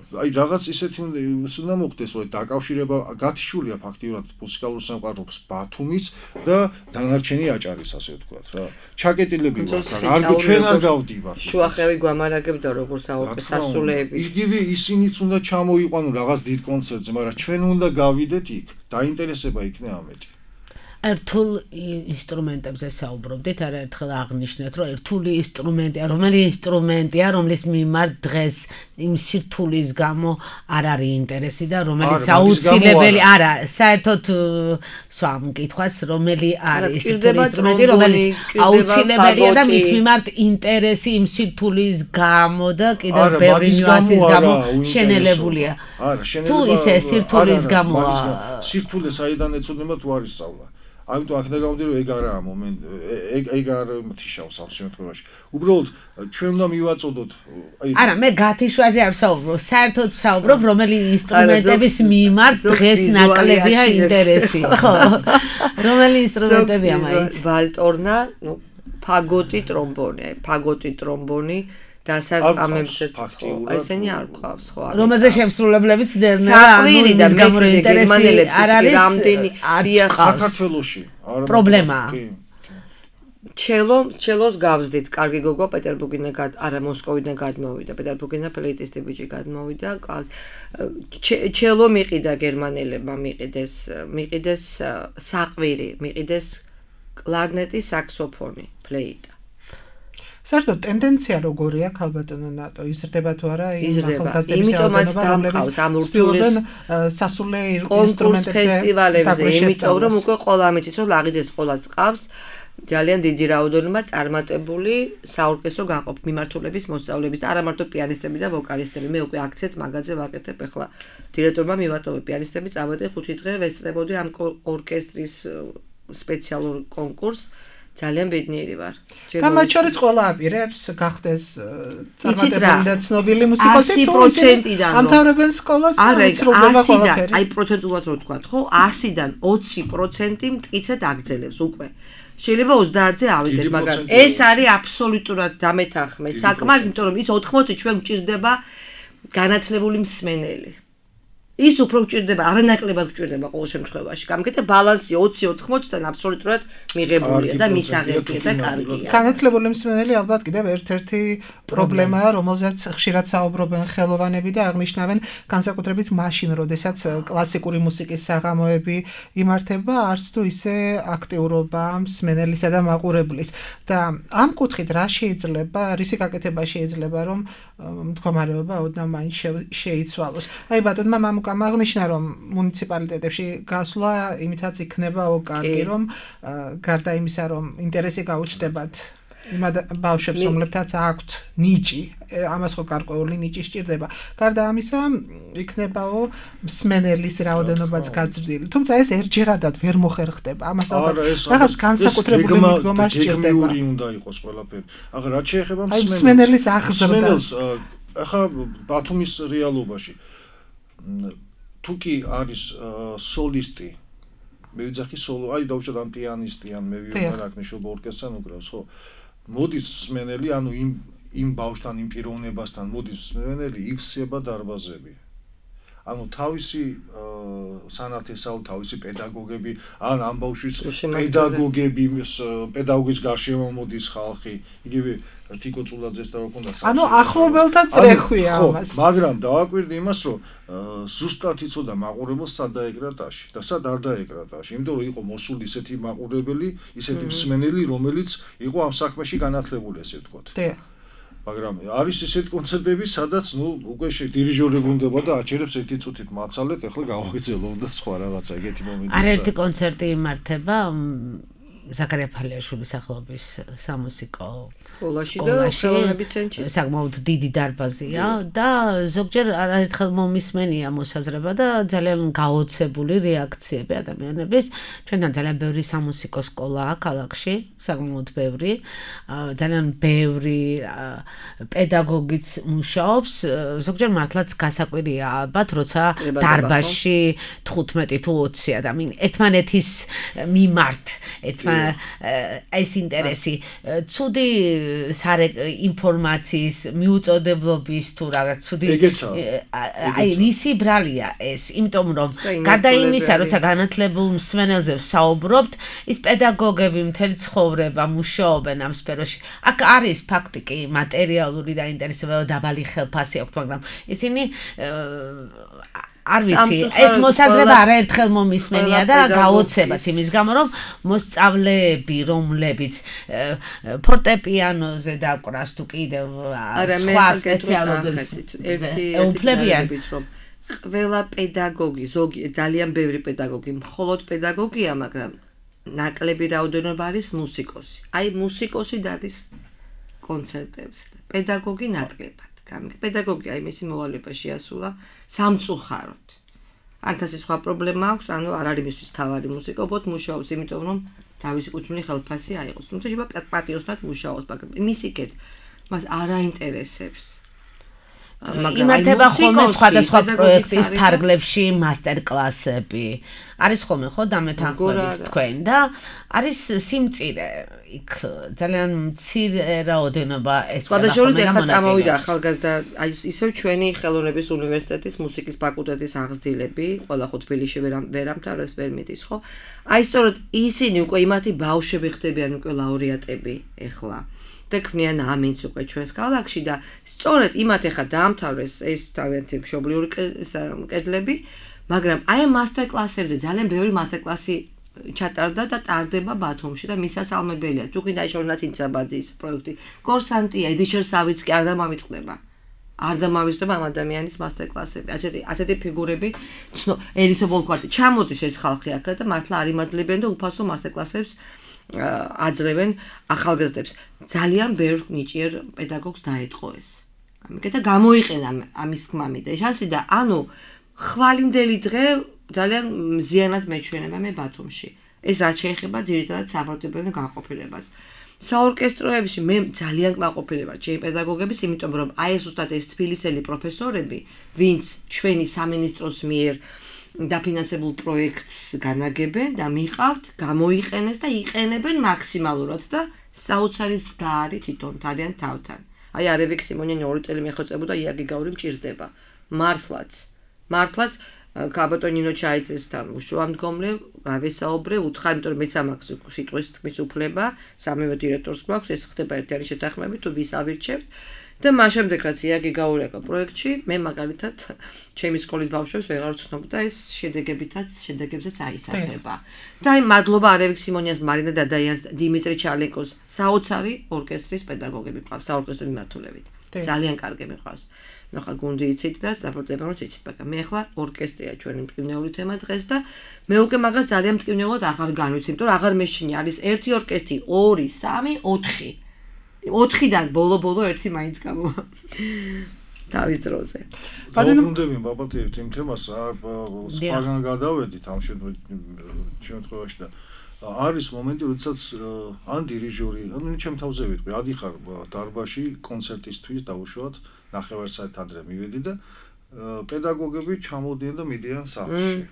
Speaker 5: აი რაღაც ისეთი უნდა მოხდეს, რომ დაკავშირება გათიშულია ფაქტიურად მუსიკალურ სამყაროს ბათუმის და დანარჩენი აჭარის, ასე ვთქვათ რა. ჩაკეტილები ვარ, არ ჩვენ არ გავდივართ.
Speaker 4: შუახევი გვამარაგებდა როგორც სასულეები.
Speaker 5: იგივე ისინიც უნდა ჩამოიყვანონ რაღაც დიდ კონცერტზე, მაგრამ ჩვენ უნდა გავიდეთ იქ, დაინტერესება იქნება ამეთი.
Speaker 2: ერთულ ინსტრუმენტებზე საუბრობდით, არაერთხელ აღნიშნეთ, რომ ერთული ინსტრუმენტია, რომელი ინსტრუმენტია, რომლის მიმართ დღეს იმ სირთულის გამო არ არის ინტერესი და რომელიც აუცილებელი, არა, საერთოდ სხვა მკითხვას, რომელი არის ერთული ინსტრუმენტი, რომელიც აუცილებელია და მის მიმართ ინტერესი იმ სირთულის გამო და კიდევ ბევრი ნიუანსის გამო შენელებულია. თუ ისე სირთულის გამოა,
Speaker 5: სირთულე საიდან ეცოდება თუ არის სწავლა. ამიტომ აქ დაგავდი რომ ეგ არაა მომენტ ეგ ეგ არ მთიშავს ამ შემთხვევაში. უბრალოდ ჩვენ უნდა მივაწოდოთ
Speaker 2: აი არა მე გათიშვაზე არ ვსაუბრობ, საერთოდ ვსაუბრობ რომელი ინსტრუმენტების მიმართ დღეს ნაკლებია ინტერესი, ხო? რომელი ინსტრუმენტებია მაინც?
Speaker 4: ვალტორნა, ნუ ფაგოტი, ტრომბონი, ფაგოტი, ტრომბონი და სარტამებზე ესენი არ ყავს ხო არა
Speaker 2: რომელზე შემსრულებლებიც წერნა ანუ ის გამო ინტერესი არ არის
Speaker 4: რამდენი
Speaker 5: საქართველოში
Speaker 2: პრობლემაა
Speaker 4: ჩელო ჩელოს გავზდით კარგი გოგო პეტერბურგიდან არა მოსკოვიდან გადმოვიდა პეტერბურგიდან ფლეიტისტი ბიჭი გადმოვიდა ყავს ჩელო მიყიდა გერმანელებმა მიყიდეს მიყიდეს საყვირი მიყიდეს კლარნეტი საქსოფონი ფლეიტა
Speaker 3: საერთოდ ტენდენცია როგორია ქალბატონო ნატო იზრდება თუ არა იმ ახალგაზრდების
Speaker 4: იმიტომაც დამყავს ამ ურთულეს
Speaker 3: სასულე
Speaker 4: ინსტრუმენტებზე ფესტივალებზე იმიტომ რომ უკვე ყველა ამიცის რომ ლაღიდეს ყოლას ყავს ძალიან დიდი რაოდენობა წარმატებული საორკესტრო გაყოფ მიმართულების მოსწავლეების და არა მარტო პიანისტები და ვოკალისტები მე უკვე აქციაც მაგაზე ვაკეთებ ახლა დირექტორმა მივატოვე პიანისტები წავედე ხუთი დღე ვესწრებოდი ამ ორკესტრის სპეციალურ კონკურსს ძალიან ბედნიერი ვარ.
Speaker 3: გამათ შორის ყველა აპირებს გახდეს წარმატებული და ცნობილი მუსიკოსი თუ ამთავრებენ სკოლას და იცრუდება ყველაფერი.
Speaker 4: აი პროცენტულად რო თქვა, ხო, ასიდან ოცი პროცენტი მტკიცედ აგრძელებს უკვე. შეიძლება ოცდაათზე ავიდეთ, მაგრამ ეს არის აბსოლუტურად დამეთანხმე საკმარისი, იმიტომ რომ ის ოთხმოცი ჩვენ გვჭირდება განათლებული მსმენელი. ის უფრო გვჭირდება, არანაკლებად გვჭირდება ყოველ შემთხვევაში. გამიგეთ ბალანსი ოცი ოთხმოციდან აბსოლუტურად მიღებულია და მისაღებია და კარგია.
Speaker 3: განათლებული მსმენელი ალბათ კიდევ ერთ-ერთი პრობლემაა, რომელზეც ხშირად საუბრობენ ხელოვანები და აღნიშნავენ განსაკუთრებით მაშინ, როდესაც კლასიკური მუსიკის საღამოები იმართება, არც თუ ისე აქტიურობა მსმენელისა და მაყურებლის. და ამ კუთხით რა შეიძლება, რისი გაკეთება შეიძლება, რომ მდგომარეობა ოდნავ მაინც შეიცვალოს. აი ბატონმა მამუკამ აღნიშნა, რომ მუნიციპალიტეტებში გასვლა იმითაც იქნებაო კარგი, რომ გარდა იმისა, რომ ინტერესი გაუჩნდებათ იმ ბავშვებს, რომლებთაც აქვთ ნიჭი, ამას ხო გარკვეული ნიჭი სჭირდება. გარდა ამისა, იქნებაო მსმენელის რაოდენობაც გაზრდილი. თუმცა ეს ერთჯერადად ვერ მოხერხდება. ამას ალბათ რაღაც განსაკუთრებული მიდგომა სჭირდება.
Speaker 5: გეგმიური უნდა იყოს ყველაფერი. ახლა რაც შეეხება
Speaker 3: მსმენელს. აი მსმენელის აღზრდას.
Speaker 5: ახლა ბათუმის რეალობაში თუ კი არის სოლისტი მე ვიძახი სოლო აი დავუშვათ ან პიანისტი ან მე ვიყვარ აქ ნიშნობა ორკესტრთან უკრავს ხო მოდის მსმენელი ანუ იმ იმ ბავშვთან იმ პიროვნებასთან მოდის მსმენელი ივსება დარბაზები ანუ თავისი სანათესაო თავისი პედაგოგები ან ამ ბავშვის პედაგოგები პედაგოგის გარშემო მოდის ხალხი იგივე თიკო წულაძეს და რა ქონდა
Speaker 3: ანუ ახლობელთა წრეხვია ამას
Speaker 5: მაგრამ დავაკვირდი იმას რომ ზუსტად იცოდა მაყურებელს სად დაეკრა ტაში და სად არ დაეკრა ტაში იმიტომ რომ იყო მოსული ისეთი მაყურებელი ისეთი მსმენელი რომელიც იყო ამ საქმეში განათლებული ესე ვთქვათ მაგრამ არის ისეთი კონცერტები, სადაც ნუ უკვე დირიჟორები უნდება და აჩერებს ერთი წუთით მაცალეთ, ახლა გავაგრძელო და სხვა რაღაცა ეგეთი მომენტია.
Speaker 2: არ ერთი კონცერტი იმართება ზაქარია ფალიაშვილის სახელობის სამუსიკო
Speaker 4: სკოლაში და ხელოვნების ცენტრში.
Speaker 2: საკმაოდ დიდი დარბაზია და ზოგჯერ არაერთხელ მომისმენია მოსაზრება და ძალიან გაოცებული რეაქციები ადამიანების. ჩვენთან ძალიან ბევრი სამუსიკო სკოლაა ქალაქში, საკმაოდ ბევრი. ძალიან ბევრი პედაგოგიც მუშაობს. ზოგჯერ მართლაც გასაკვირია ალბათ, როცა დარბაზში თხუთმეტი თუ ოცი ადამიანი ერთმანეთის მიმართ, ერთმანეთის ეს ინტერესი ცუდი ინფორმაციის მიუწოდებლობის თუ რაღაც ცუდი აი რისი ბრალია ეს იმიტომ რომ გარდა იმისა როცა განათლებულ მსმენელზე ვსაუბრობთ ის პედაგოგები მთელი ცხოვრება მუშაობენ ამ სფეროში აქ არის ფაქტი კი მატერიალური დაინტერესება დაბალი ხელფასი აქვს მაგრამ ისინი არ ვიცი, ეს მოსაზრება არაერთხელ მომისმენია და გაოცებაც იმის გამო, რომ მოსწავლეები, რომლებიც ფორტეპიანოზე დაკვრას თუ კიდევ სხვა სპეციალობებს ეუფლებიან,
Speaker 4: რომ ყველა პედაგოგი, ზოგი ძალიან ბევრი პედაგოგი, მხოლოდ პედაგოგია, მაგრამ ნაკლები რაოდენობა არის მუსიკოსი. აი მუსიკოსი დადის კონცერტებზე, პედაგოგი ნაკლებად. პედაგოგი აი მისი მოვალეობა შეასრულა სამწუხაროდ. ანთასი სხვა პრობლემა აქვს, ანუ არ არის მისთვის თავარი მუსიკობოთ მუშაობს, იმიტომ რომ თავისი კუთვნილი ხელფასი აიღოს. თუმცა შეიძლება პატიოსნად მუშაობს, მაგრამ იმის იქეთ მას არ აინტერესებს.
Speaker 2: იმართება ხოლმე სხვადასხვა პროექტის ფარგლებში მასტერკლასები. არის ხოლმე ხო დამეთანხმებით თქვენ და არის სიმწირე იქ ძალიან მცირე რაოდენობა ეს
Speaker 4: სხვადასხვა ეხლა წამოვიდა ახალგაზრდა აი ისევ ჩვენი ხელოვნების უნივერსიტეტის მუსიკის ფაკულტეტის აღზრდილები ყველა ხო თბილისში ვერ ამთავრებს ვერ მიდის ხო აი სწორედ ისინი უკვე იმათი ბავშვები ხდებიან უკვე ლაურეატები ეხლა და ქმნიან ამინც უკვე ჩვენს ქალაქში და სწორედ იმათ ეხლა დაამთავრეს ეს თავიანთი მშობლიური კედლები მაგრამ აი მასტერკლასებზე ძალიან ბევრი მასტერკლასი ჩატარდა და ტარდება ბათუმში და მისასალმებელია. თუ გინდა შორნაც ინცაბაძის პროექტი. კორსანტია, ედიშერ სავიც კი არ დამავიწყდება. არ დამავიწყდება ამ ადამიანის მასტერკლასები. ასეთი ასეთი ფიგურები ცნო ელისო ბოლკვარტი ჩამოდის ეს ხალხი აქ და მართლა არ იმადლებენ და უფასო მასტერკლასებს აძლევენ ახალგაზრდებს. ძალიან ბევრ ნიჭიერ პედაგოგს დაეთყო ეს. ამიტომ გამოიყენა ამის თქმამი და შანსი და ანუ ხვალინდელი დღე ძალიან მზიანად მეჩვენება მე ბათუმში. ეს რაც შეეხება ძირითადად საფორტეპიანო განყოფილებას. საორკესტროებში მე ძალიან კმაყოფილება ჩემი პედაგოგების, იმიტომ რომ აი ეს უბრალოდ ეს თბილისელი პროფესორები, ვინც ჩვენი სამინისტროს მიერ დაფინანსებულ პროექტს განაგებენ და მიყავთ, გამოიყენეს და იყენებენ მაქსიმალურად და საოცარი ზდარი თვითონ თავიანთ თავთან. აი არევიკ სიმონიანი ორი წელი მეხოწებოდა იაგი გაური მჭირდება. მართლაც. მართლაც კაბატონინო ჩაიძესთან უშუალმდგომლე გავესაუბრე უთხარ, იმიტომ რომ მეც ამაქვს სიტყვის თქმის უფლება, სამივე დირექტორს გვაქვს, ეს ხდება ერთიანი შეთანხმებით, თუ ვის ავირჩევთ და მას შემდეგ რაც იაგი გაურეკა პროექტში, მე მაგალითად ჩემი სკოლის ბავშვებს ვეღარ ვცნობ და ეს შედეგებითაც, შედეგებზეც აისახება. და აი მადლობა არევიკ სიმონიანს, მარინა დადაიანს, დიმიტრი ჩალენკოს, საოცარი ორკესტრის პედაგოგები მყავს, საორკესტრო მიმართულებით. ძალიან კარგი მიყვარს. ნუ ხა გუნდი იცით და საფორტეპიანოც იცით, მაგრამ მე ახლა ორკესტრია ჩვენი მტკივნეული თემა დღეს და მე უკვე მაგას ძალიან მტკივნეულად აღარ განვიცი, იმიტომ რომ აღარ მეშინი არის ერთი ორკესტრი, ორი, სამი, ოთხი. ოთხიდან ბოლო-ბოლო ერთი მაინც გამო. თავის დროზე.
Speaker 5: ბადენდები ბაბათიეთ იმ თემას არ სხვაგან გადავედით ამ შემთხვევაში და არის მომენტი, როდესაც ან დირიჟორი, ანუ ჩემ თავზე ვიტყვი, ადიხარ დარბაზში კონცერტისთვის დაუშვათ ნახევარსაათ ადრე მივედი და პედაგოგები ჩამოდიან და მიდიან სახლში.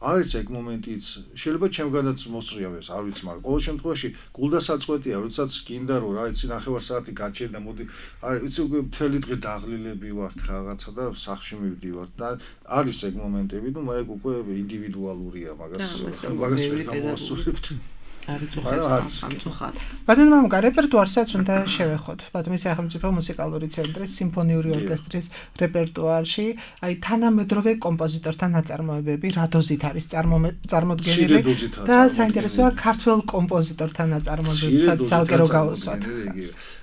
Speaker 5: არის ეგ მომენტიც, შეიძლება ჩემგანაც მოსწრიავეს, არ ვიცი, მაგრამ ყოველ შემთხვევაში გულდასაწყვეტია, როდესაც გინდა რომ რა იცი ნახევარსაათი გაჩერდა, მოდი, არ ვიცი, უკვე მთელი დღე დაღლილები ვართ რაღაცა და სახლში მივდივართ და არის ეგ მომენტები, ნუ მაგ უკვე ინდივიდუალურია, მაგას მაგას ვერ გამოვასწორებთ.
Speaker 3: ბადენმამუკა რეპერტუარსაც უნდა შევეხოთ. ბათუმის სახელმწიფო მუსიკალური ცენტრის სიმფონიური ორკესტრის რეპერტუარში აი თანამედროვე კომპოზიტორთა ნაწარმოებები რადოზით არის წარმოდგენილი და საინტერესოა ქართველ კომპოზიტორთა ნაწარმოებებსაც სალკერო გავუსვათ.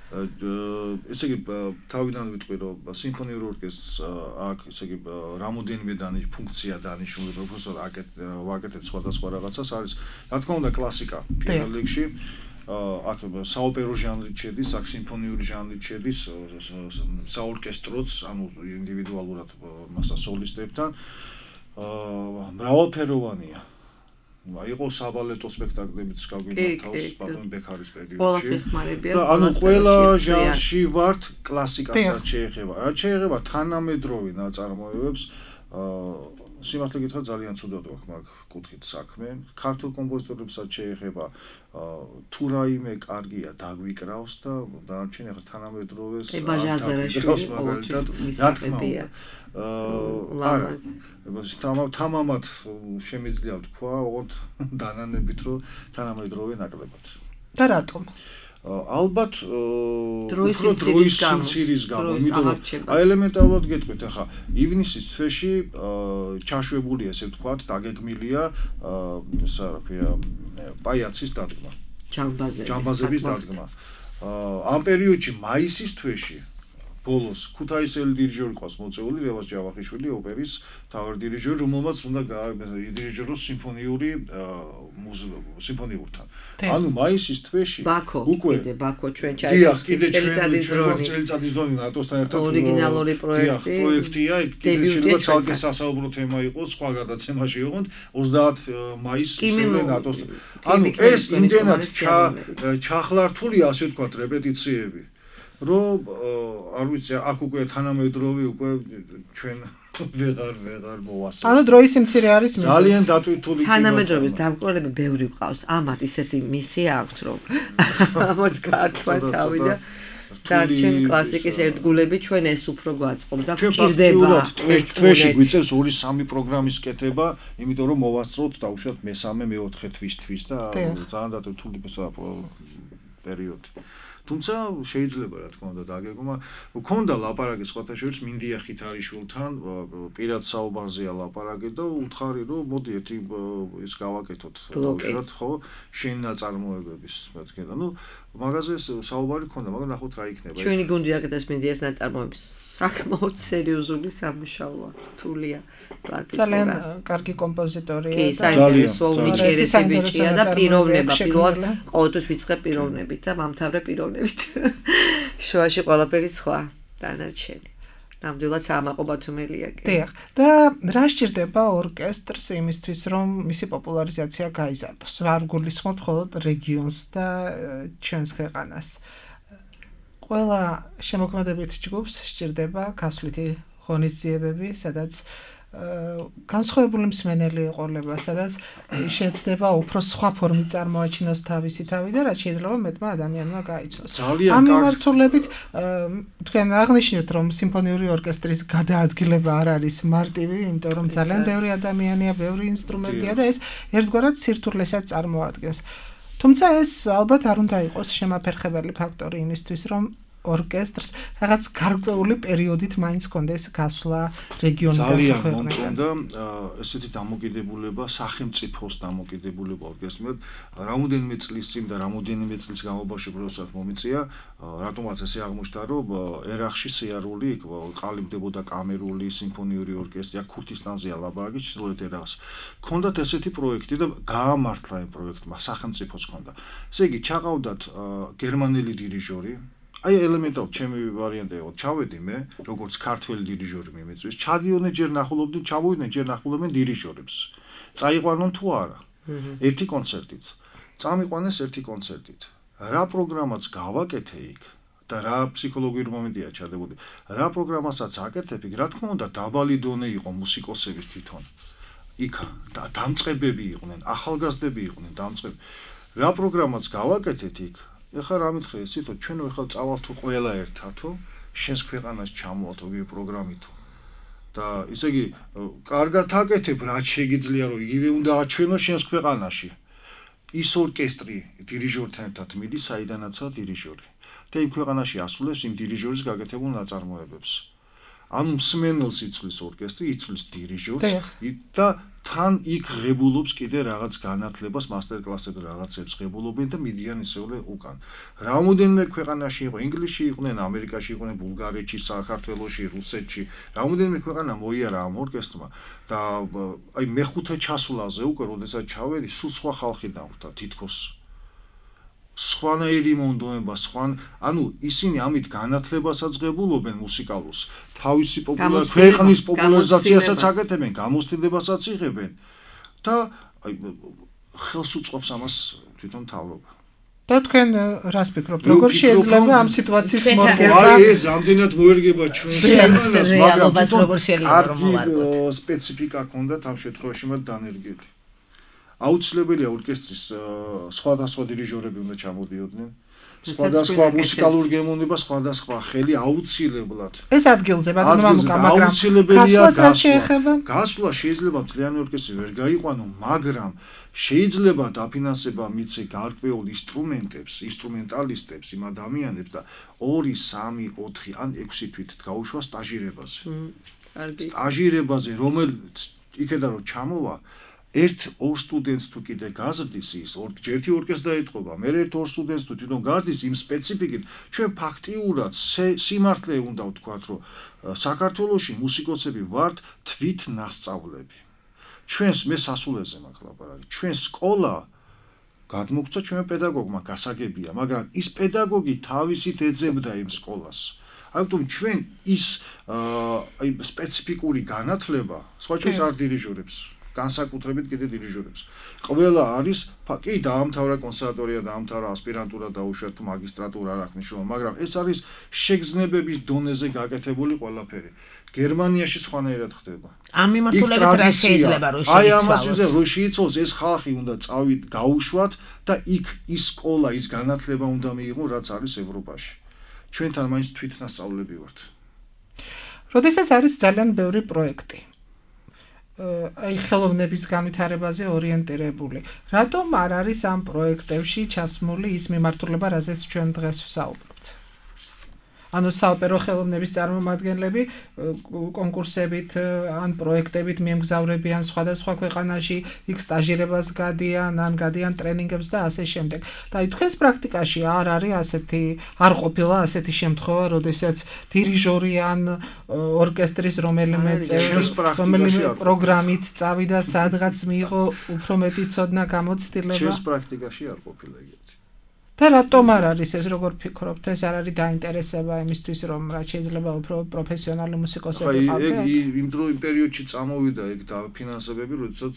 Speaker 5: ესე იგი თავიდან ვიტყვი რომ სიმფონიურ ორკესტრს აქ ესე იგი რამოდენიმე დანიშ ფუნქცია დანიშნული პროფესორ ვაკეთებ სხვადასხვა რაღაცას არის რა თქმა უნდა კლასიკა პირველ რიგში აქ საოპერო ჟანრი შედის აქ სიმფონიური ჟანრი შედის საორკესტროც ანუ ინდივიდუალურად მასა სოლისტებთან მრავალფეროვანია იყო საბალეტო სპექტაკლებიც გავიმართავს ბატონ ბექარის პერიოდში და ანუ ყველა ჟანრში ვართ კლასიკასაც შეეხება რა შეეხება თანამედროვე ნაწარმოებებს სიმართლე გითხრათ ძალიან ცუდად გვაქვს მაგ კუთხით საქმე ქართულ კომპოზიტორებსაც შეეხება თუ რაიმე კარგია დაგვიკრავს და დარჩენ ახლა თანამედროვეს
Speaker 4: ბაჟაზარაშვილი
Speaker 5: მაგალითად რა თქმა უნდა არა თამამად შემიძლია თქვა ოღონდ დანანებით რომ თანამედროვე ნაკლებად და
Speaker 3: რატომ
Speaker 5: ალბათ უფრო დროის სიმცირის გამო, იმიტომ რომ აი ელემენტარულად გეტყვით ახლა ივნისის თვეში ჩაშვებულია ესე ვთქვათ, დაგეგმილია ისა რა ქვია პაიაცის დადგმა.
Speaker 4: ჯამბაზე.
Speaker 5: ჯამბაზების დადგმა. ამ პერიოდში მაისის თვეში ბოლოს ქუთაისელი დირიჟორი ყავს მოწეული რევაზ ჯავახიშვილი ოპერის თავარ დირიჟორი რომელმაც უნდა დირიჟოროს სიმფონიური სიმფონიურთან ანუ მაისის თვეში
Speaker 4: უკვე კიდე ბაქო ჩვენ ჩაიდეთ წელიწადის დროინი
Speaker 5: წელიწადის დროინი ნატოსთან ერთად
Speaker 4: ორიგინალური პროექტი
Speaker 5: პროექტია კიდე შეიძლება ცალკე სასაუბრო თემა იყოს სხვა გადაცემაში იყოთ ოცდაათ მაისს ისევე ნატოსთან ანუ ეს იმდენად ჩახლართულია ასე ვთქვათ რეპეტიციები რომ არ ვიცი აქ უკვე თანამედროვე უკვე ჩვენ ვეღარ ვეღარ მოვასწრებთ.
Speaker 3: ანუ დროის სიმცირე არის მიზეზი.
Speaker 5: ძალიან დატვირთული
Speaker 4: თანამედროვეს დამკვირვებლები ბევრი გვყავს. ამათ ისეთი მისია აქვს რომ ამას გართვა თავი და დარჩენ კლასიკის ერთგულები ჩვენ ეს უფრო გვაწყობს და გვჭირდება.
Speaker 5: თვეში გვიწევს ორი სამი პროგრამის კეთება, იმიტომ რომ მოვასწროთ დაუშვათ მესამე მეოთხე თვისთვის და ძალიან დატვირთული პერიოდი. თუმცა შეიძლება რა თქმა უნდა დაგეგმა მქონდა ლაპარაკი სხვათა შორის მინდია ხითარიშვილთან პირად საუბარზეა ლაპარაკი და უთხარი რომ მოდი ერთი ის გავაკეთოთ დავუშვათ ხო შენ ნაწარმოებების მეთქე და ნუ მაგაზე საუბარი ქონდა მაგრამ ნახოთ რა იქნება
Speaker 4: ჩვენი გუნდი აკეთებს მინდიას ნაწარმოების საკმაოდ სერიოზული სამუშაოა რთულია პარტიტურა
Speaker 3: ძალიან კარგი კომპოზიტორია
Speaker 4: კი საინტერესო უნიჭერესი ბიჭია და პიროვნება პირველად ყოველთვის ვიწყებ პიროვნებით და მომთავრე პიროვნებით შუაში ყველაფერი სხვა დანარჩენი ნამდვილად საამაყობათუმელია კი
Speaker 3: დიახ და რა სჭირდება ორკესტრს იმისთვის რომ მისი პოპულარიზაცია გაიზარდოს არ გულისხმობ მხოლოდ რეგიონს და ჩვენს ქვეყანას ყველა შემოქმედებით ჯგუფს სჭირდება გასვლითი ღონისძიებები, სადაც განსხვავებული მსმენელი ეყოლება, სადაც შეეცდება უფრო სხვა ფორმით წარმოაჩინოს თავისი თავი და რაც შეიძლება მეტმა ადამიანმა გაიცნოს. ამ მიმართულებით თქვენ აღნიშნეთ, რომ სიმფონიური ორკესტრის გადაადგილება არ არის მარტივი, იმიტომ რომ ძალიან ბევრი ადამიანია, ბევრი ინსტრუმენტია და ეს ერთგვარად სირთულესაც წარმოადგენს. თუმცა ეს ალბათ არ უნდა იყოს შემაფერხებელი ფაქტორი იმისთვის, რომ ორკესტრს რაღაც გარკვეული პერიოდით მაინც კონდეს გასვლა რეგიონიდან
Speaker 5: ძალიან მომწონდა ესეთი დამოკიდებულება სახელმწიფოს დამოკიდებულება ორკესტრს რამოდენიმე წლის წინ და რამოდენიმე წლის განმავლობაში პროცესად მომიწია რატომაც ესე აღმოჩნდა რომ ერახში სიარული ყალიბდებოდა კამერული სიმფონიური ორკესტრი აქ ქურთისტანზეა ლაბარაკი ჩრდილოეთ ერახს ქონდათ ესეთი პროექტი და გაამართლა იმ პროექტმა სახელმწიფოს ქონდა ესე იგი ჩაყავდათ გერმანელი დირიჟორი აი ელემენტარულად ჩემი ვარიანტი იყო ჩავედი მე როგორც ქართველი დირიჟორი მიმეწვის ჩადიოდნენ ჯერ ნახულობდნენ ჩამოვიდნენ ჯერ ნახულობდნენ დირიჟორებს წაიყვანონ თუ არა ერთი კონცერტით წამიყვანეს ერთი კონცერტით რა პროგრამაც გავაკეთე იქ და რა ფსიქოლოგიური მომენტია ჩადებული რა პროგრამასაც აკეთებ იქ რა თქმა უნდა დაბალი დონე იყო მუსიკოსების თვითონ იქ და დამწყებები იყვნენ ახალგაზრდები იყვნენ დამწყები რა პროგრამაც გავაკეთეთ იქ ეხლა რა მითხრე ისეთო ჩვენ ეხლა წავალთ თუ ყველა ერთათო შენს ქვეყანას ჩამოვალთ ოგი პროგრამითო და ისე იგი კარგად აკეთებ რაც შეგიძლია რომ იგივე უნდა აჩვენო შენს ქვეყანაში ის ორკესტრი დირიჟორთან ერთად მიდის საიდანაცაა დირიჟორი და იმ ქვეყანაში ასრულებს იმ დირიჟორის გაკეთებულ ნაწარმოებებს ანუ მსმენელს იცვლის ორკესტრი იცვლის დირიჟორს და თან იქ ღებულობს კიდე რაღაც განათლებას მასტერკლასები რაღაცებს ღებულობენ და მიდიან ისეულე უკან რამოდენიმე ქვეყანაში იყო ინგლისში იყვნენ ამერიკაში იყვნენ ბულგარეთში საქართველოში რუსეთში რამოდენიმე ქვეყანა მოიარა ამ ორკესტრმა და აი მეხუთე ჩასვლაზე უკვე როდესაც ჩავედი სულ სხვა ხალხი დამხვდა თითქოს სხვანაირი მონდოება სხვა ანუ ისინი ამით განათლებასაც ღებულობენ მუსიკალურს თავისი პოპულარ ქვეყნის პოპულარიზაციასაც აკეთებენ გამოცდილებასაც იღებენ და აი ხელს უწყობს ამას თვითონ მთავრობა
Speaker 3: და თქვენ რას ფიქრობთ როგორ შეიძლება ამ სიტუაციის მორგება
Speaker 5: აი ეს ამდენად მოერგება ჩვენს ქვეყანას მაგრამ თვითონ კარგი სპეციფიკა ჰქონდათ ამ შემთხვევაში მათ დანერგილი აუცილებელია ორკესტრის სხვადასხვა დირიჟორები უნდა ჩამოდიოდნენ სხვადასხვა მუსიკალური გემოვნება სხვადასხვა ხელი აუცილებლად
Speaker 3: ეს ადგილზე ბატონო მაგრამ
Speaker 5: აუცილებელია გასვლა შეიძლება მთლიანი ორკესტრი ვერ გაიყვანო მაგრამ შეიძლება დაფინანსება მიცე გარკვეულ ინსტრუმენტებს ინსტრუმენტალისტებს იმ ადამიანებს და ორი სამი ოთხი ან ექვსი თვით გაუშვა სტაჟირებაზე სტაჟირებაზე რომელიც იქედა რომ ჩამოვა ერთ ორ სტუდენტს თუ კიდე გაზრდის ის ერთი ორკესტრს დაეთყობა მე ერთ ორ სტუდენტს თუ თვითონ გაზრდის იმ სპეციფიკით ჩვენ ფაქტიურად სიმართლე უნდა ვთქვათ რომ საქართველოში მუსიკოსები ვართ თვით ნასწავლები ჩვენს მე სასულეზე მაქვს ლაპარაკი ჩვენ სკოლა გადმოგცა ჩვენ პედაგოგმა გასაგებია მაგრამ ის პედაგოგი თავისით ეძებდა იმ სკოლას ამიტომ ჩვენ ის აი სპეციფიკური განათლება სხვა ჩვენს არ დირიჟორებს განსაკუთრებით კიდე დირიჟორებს. ყველა არის კი დაამთავრა კონსერვატორია, დაამთავრა ასპირანტურა, დაუშვა თუ მაგისტრატურა არ აქვს მნიშვნელობა, მაგრამ ეს არის შეგრძნებების დონეზე გაკეთებული ყველაფერი. გერმანიაში სხვანაირად ხდება.
Speaker 2: ამ მიმართულებით რა შეიძლება რომ შეიცვალოს?
Speaker 5: აი ამას ვიძე რომ შეიცვალოს ეს ხალხი უნდა წავით გაუშვათ და იქ ის სკოლა, ის განათლება უნდა მიიღონ, რაც არის ევროპაში. ჩვენთან მაინც თვითნასწავლები ვართ.
Speaker 3: როდესაც არის ძალიან ბევრი პროექტი აი ხელოვნების განვითარებაზე ორიენტირებული. რატომ არ არის ამ პროექტებში ჩასმული ის მიმართულება, რაზეც ჩვენ დღეს ვსაუბრობთ? ანუ საოპერო ხელოვნების წარმომადგენლები კონკურსებით ან პროექტებით მიემგზავრებიან სხვადასხვა ქვეყანაში, იქ სტაჟირებას გადიან, ან გადიან ტრენინგებს და ასე შემდეგ. და აი თქვენს პრაქტიკაში არ არის ასეთი, არ ყოფილა ასეთი შემთხვევა, როდესაც დირიჟორი ან ორკესტრის რომელიმე წევრი რომელიმე პროგრამით წავიდა სადღაც მიიღო უფრო მეტი ცოდნა გამოცდილება.
Speaker 5: ჩვენს პრაქტიკაში არ ყოფილა ეგეთი.
Speaker 3: და რატომ არ არის ეს, როგორ ფიქრობთ, ეს არ არის დაინტერესება იმისთვის, რომ რაც შეიძლება უფრო პროფესიონალი მუსიკოსები
Speaker 5: ყავდეთ? აი, ეგ იმ დრო იმ პერიოდში წამოვიდა ეგ დაფინანსებები, როდესაც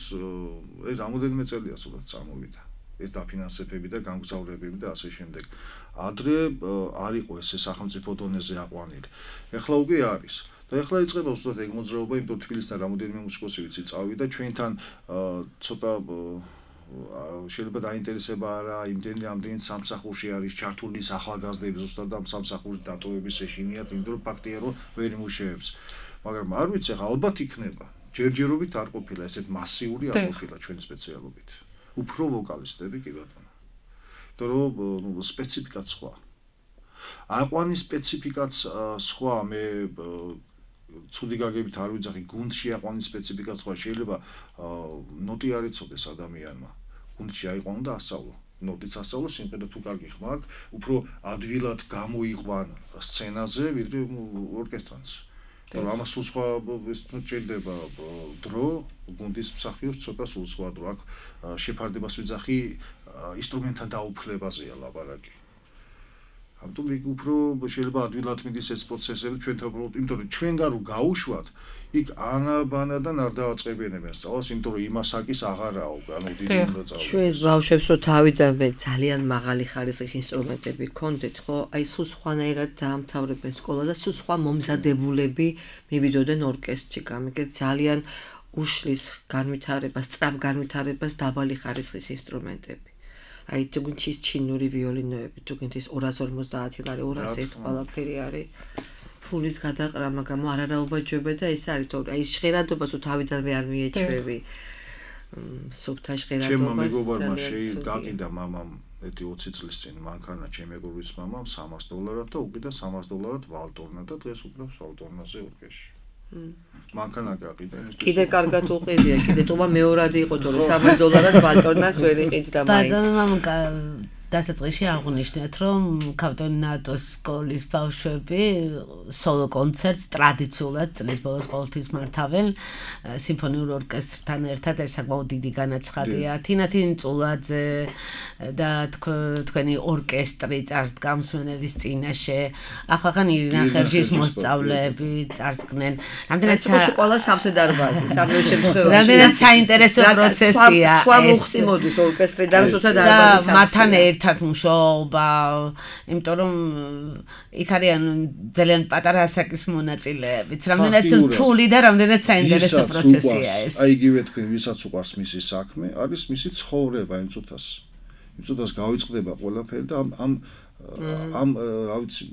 Speaker 5: ეს რამოდენიმე წელია სულაც წამოვიდა. ეს დაფინანსებები და გამგზავრებები და ასე შემდეგ. ადრე არ იყო ეს სახელმწიფო დონეზე აყვანილი. ეხლა უკვე არის. და ეხლა იწყება უბრალოდ ეგ მოძრაობა, იმიტომ თბილისთან რამოდენიმე მუსიკოსი ვიცი წავიდა, ჩვენთან ცოტა შეიძლება დაინტერესება არა, იმდენი ამდენი სამსახურში არის ჩართული ახალგაზრდები ზუსტად ამ სამსახურის დატოვების ეშინიათ, იმიტომ რომ ფაქტია რომ ვერ იმუშავებს. მაგრამ არ ვიცი, ალბათ იქნება. ჯერჯერობით არ ყოფილა ესეთ მასიური არ ყოფილა ჩვენი სპეციალობით. უფრო ვოკალისტები კი ბატონო. იმიტომ რომ სპეციფიკაც სხვა. აყვანის სპეციფიკაც სხვა, მე ცუდი გაგებით არ ვიძახი, გუნდში აყვანის სპეციფიკაც სხვა, შეიძლება ნოტი არ იცოდეს ადამიანმა. გუნდში აიყვანო და ასწავლო. ნოტიც ასწავლო, სიმღერა თუ კარგი ხმა აქვს, უფრო ადვილად გამოიყვან სცენაზე, ვიდრე ორკესტრანს. რომ ამას სულ სხვა ეს ჭირდება დრო, გუნდის მსახიობს ცოტა სულ სხვა დრო. აქ შეფარდებას ვიძახი, ინსტრუმენტთან დაუფლებაზეა ლაპარაკი. ამიტომ იქ უფრო შეიძლება ადვილად მიდის ეს პროცესები ჩვენთან უბრალოდ, იმიტომ რომ ჩვენგან რო გაუშვათ, იქ ანაბანადან არ დააწყებინებენ სწავლას, იმიტომ რომ იმასაკის აღარაო, ანუ დიდი უნდა წავიდეს.
Speaker 4: ჩვენს ბავშვებს რო თავიდანვე ძალიან მაღალი ხარისხის ინსტრუმენტები ჰქონდეთ, ხო? აი სულ სხვანაირად დაამთავრებენ სკოლა და სულ სხვა მომზადებულები მივიდოდნენ ორკესტრში, გამიგეთ ძალიან უშლის განვითარებას, სწრაფ განვითარებას დაბალი ხარისხის ინსტრუმენტები. აი თუ გინჩის ჩინური ვიოლინოები, თუ გინჩის ორასი ორმოცდაათი ლარი, ორასი ეს ყველაფერი არის ფულის გადაყრა, მაგრამ არარაობაჯობე და ეს არის თორე აი ჟღერადობას თუ თავიდანვე არ მიეჩვევი. სუფთა ჟღერადობას.
Speaker 5: ჩემმა მეგობარმა შეიგაყიდა მამამ ეთი ოცი წლის წინ მანქანა ჩემ მეგობრის მამამ სამას დოლარად და უკიდა სამას დოლარად ვალტორნა და დღეს უკრავს ვალტორნაზე ორკესტრში. მანქანა გაყიდა იმისთვის.
Speaker 4: კიდე კარგად უყიდია, კიდე თუმა მეორადი იყო თორე სამას დოლარად ვალტორნას ვერ იყიდდა მაინც.
Speaker 2: ბატონო დასაწყისში აღნიშნეთ, რომ კავტონატოს სკოლის ბავშვები სოლო კონცერტს ტრადიციულად წლის ბოლოს ყოველთვის მართავენ სიმფონიურ ორკესტრთან ერთად, ეს საკმაოდ დიდი განაცხადია. თინათინ წულაძე და თქვენი ორკესტრი წარსდგამსმენელის წინაშე, ახალგან ირინა ხერჯის მოსწავლეები წარსდგნენ. რამდენად
Speaker 4: ყველა სავსე დარბაზი, სამეულ შემთხვევაში.
Speaker 2: რამდენად საინტერესო პროცესია.
Speaker 4: სხვა მუხტი მოდის ორკესტრიდან, თუმცა დარბაზი
Speaker 2: მათთან ერთად მუშაობა, იმიტომ რომ იქ არიან ძალიან პატარა ასაკის მონაწილეებიც, რამდენად რთული და რამდენად საინტერესო პროცესია ეს.
Speaker 5: აი იგივე თქვენ, ვისაც უყვარს მისი საქმე, არის მისი ცხოვრება იმ წუთას. იმ წუთას გავიწყდება ყველაფერი და ამ ამ ამ რა ვიცი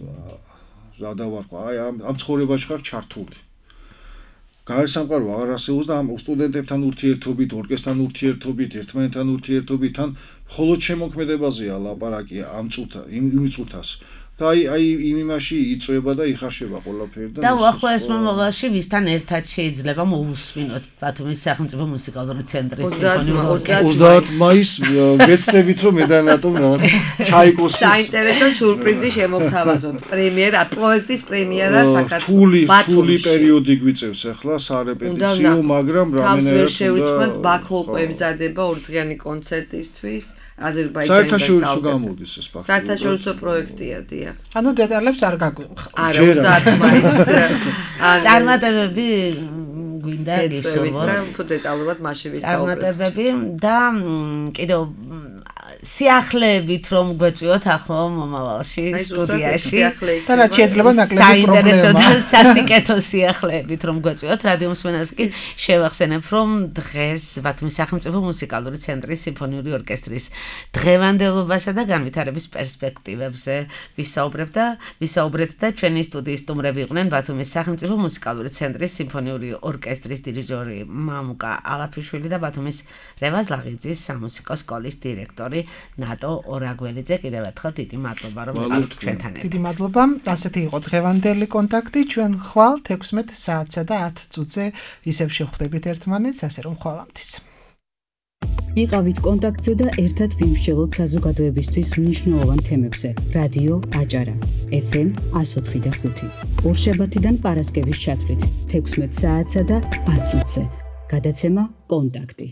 Speaker 5: რა დავარქვა, აი ამ ამ ცხოვრებაში ხარ ჩართული. გარესამყარო აღარ არსებობს და ამ სტუდენტებთან ურთიერთობით, ორკესტრთან ურთიერთობით, ერთმანეთთან ურთიერთობით, თან მხოლოდ შემოქმედებაზეა ლაპარაკი ამ წუთა, იმ წუთას. და აი აი იმ იმაში იწვება და იხარშება ყველაფერი და
Speaker 2: და უახლოეს მომავალში ვისთან ერთად შეიძლება მოусმინოთ ბათუმის სახელმწიფო მუსიკალური ცენტრის სიმფონიური ორკესტრი.
Speaker 5: ოცდაათი მაისს ვეცდებით რომ მე და ნატომ რაღაც ჩაიკოსის
Speaker 4: საინტერესო სიურპრიზი შემოგთავაზოთ. პრემიერა, პროექტის პრემიერა
Speaker 5: საქართველოს. თული პერიოდი გვიწევს ახლა სარეპეტიციო, მაგრამ რამენერად
Speaker 4: უნდა შევიწყოთ ბაქო უკვე მზადება ორდღიანი კონცერტისთვის. აზერბაიჯანიდან
Speaker 5: საერთაშორისო გამოდის ეს ფაქტი.
Speaker 4: საერთაშორისო პროექტია, დიახ.
Speaker 3: ანუ დეტალებს არ გაგვიმხ.
Speaker 4: არა, ოცდაათი მაისს.
Speaker 2: წარმატებები გვინდა
Speaker 4: გისურვოთ. და უფრო დეტალურად მასში ვისაუბრებთ.
Speaker 2: წარმატებები და კიდევ სიახლეებით რომ გვეწვიოთ ახლა მომავალში სტუდიაში.
Speaker 3: და რაც შეიძლება ნაკლები
Speaker 2: საინტერესო და
Speaker 3: პრობლემა.
Speaker 2: სასიკეთო სიახლეებით რომ გვეწვიოთ რადიო მსმენელს კი შევახსენებ რომ დღეს ბათუმის სახელმწიფო მუსიკალური ცენტრის სიმფონიური ორკესტრის დღევანდელობასა და განვითარების პერსპექტივებზე ვისაუბრებ და ვისაუბრეთ და ჩვენი სტუდიის სტუმრები იყვნენ ბათუმის სახელმწიფო მუსიკალური ცენტრის სიმფონიური ორკესტრის დირიჟორი მამუკა ალაფიშვილი და ბათუმის რევაზ ლაღიძის სამუსიკო სკოლის დირექტორი ნატო ორაგველიძე. კიდევ ერთხელ დიდი მადლობა რომ იყავით ჩვენთან ერთად.
Speaker 3: დიდი მადლობა. ასეთი იყო დღევანდელი კონტაქტი. ჩვენ ხვალ თექვსმეტ საათსა და ათ წუთზე ისევ შევხვდებით ერთმანეთს, ასე რომ ხვალამდის.
Speaker 1: იყავით კონტაქტზე და ერთად ვიმსჯელოთ საზოგადოებისთვის მნიშვნელოვან თემებზე. რადიო აჭარა ეფ ემ εκατო ოთხი და ხუთი. ორშაბათიდან პარასკევის ჩათვლით თექვსმეტ საათსა და ათ წუთზე. გადაცემა კონტაქტი.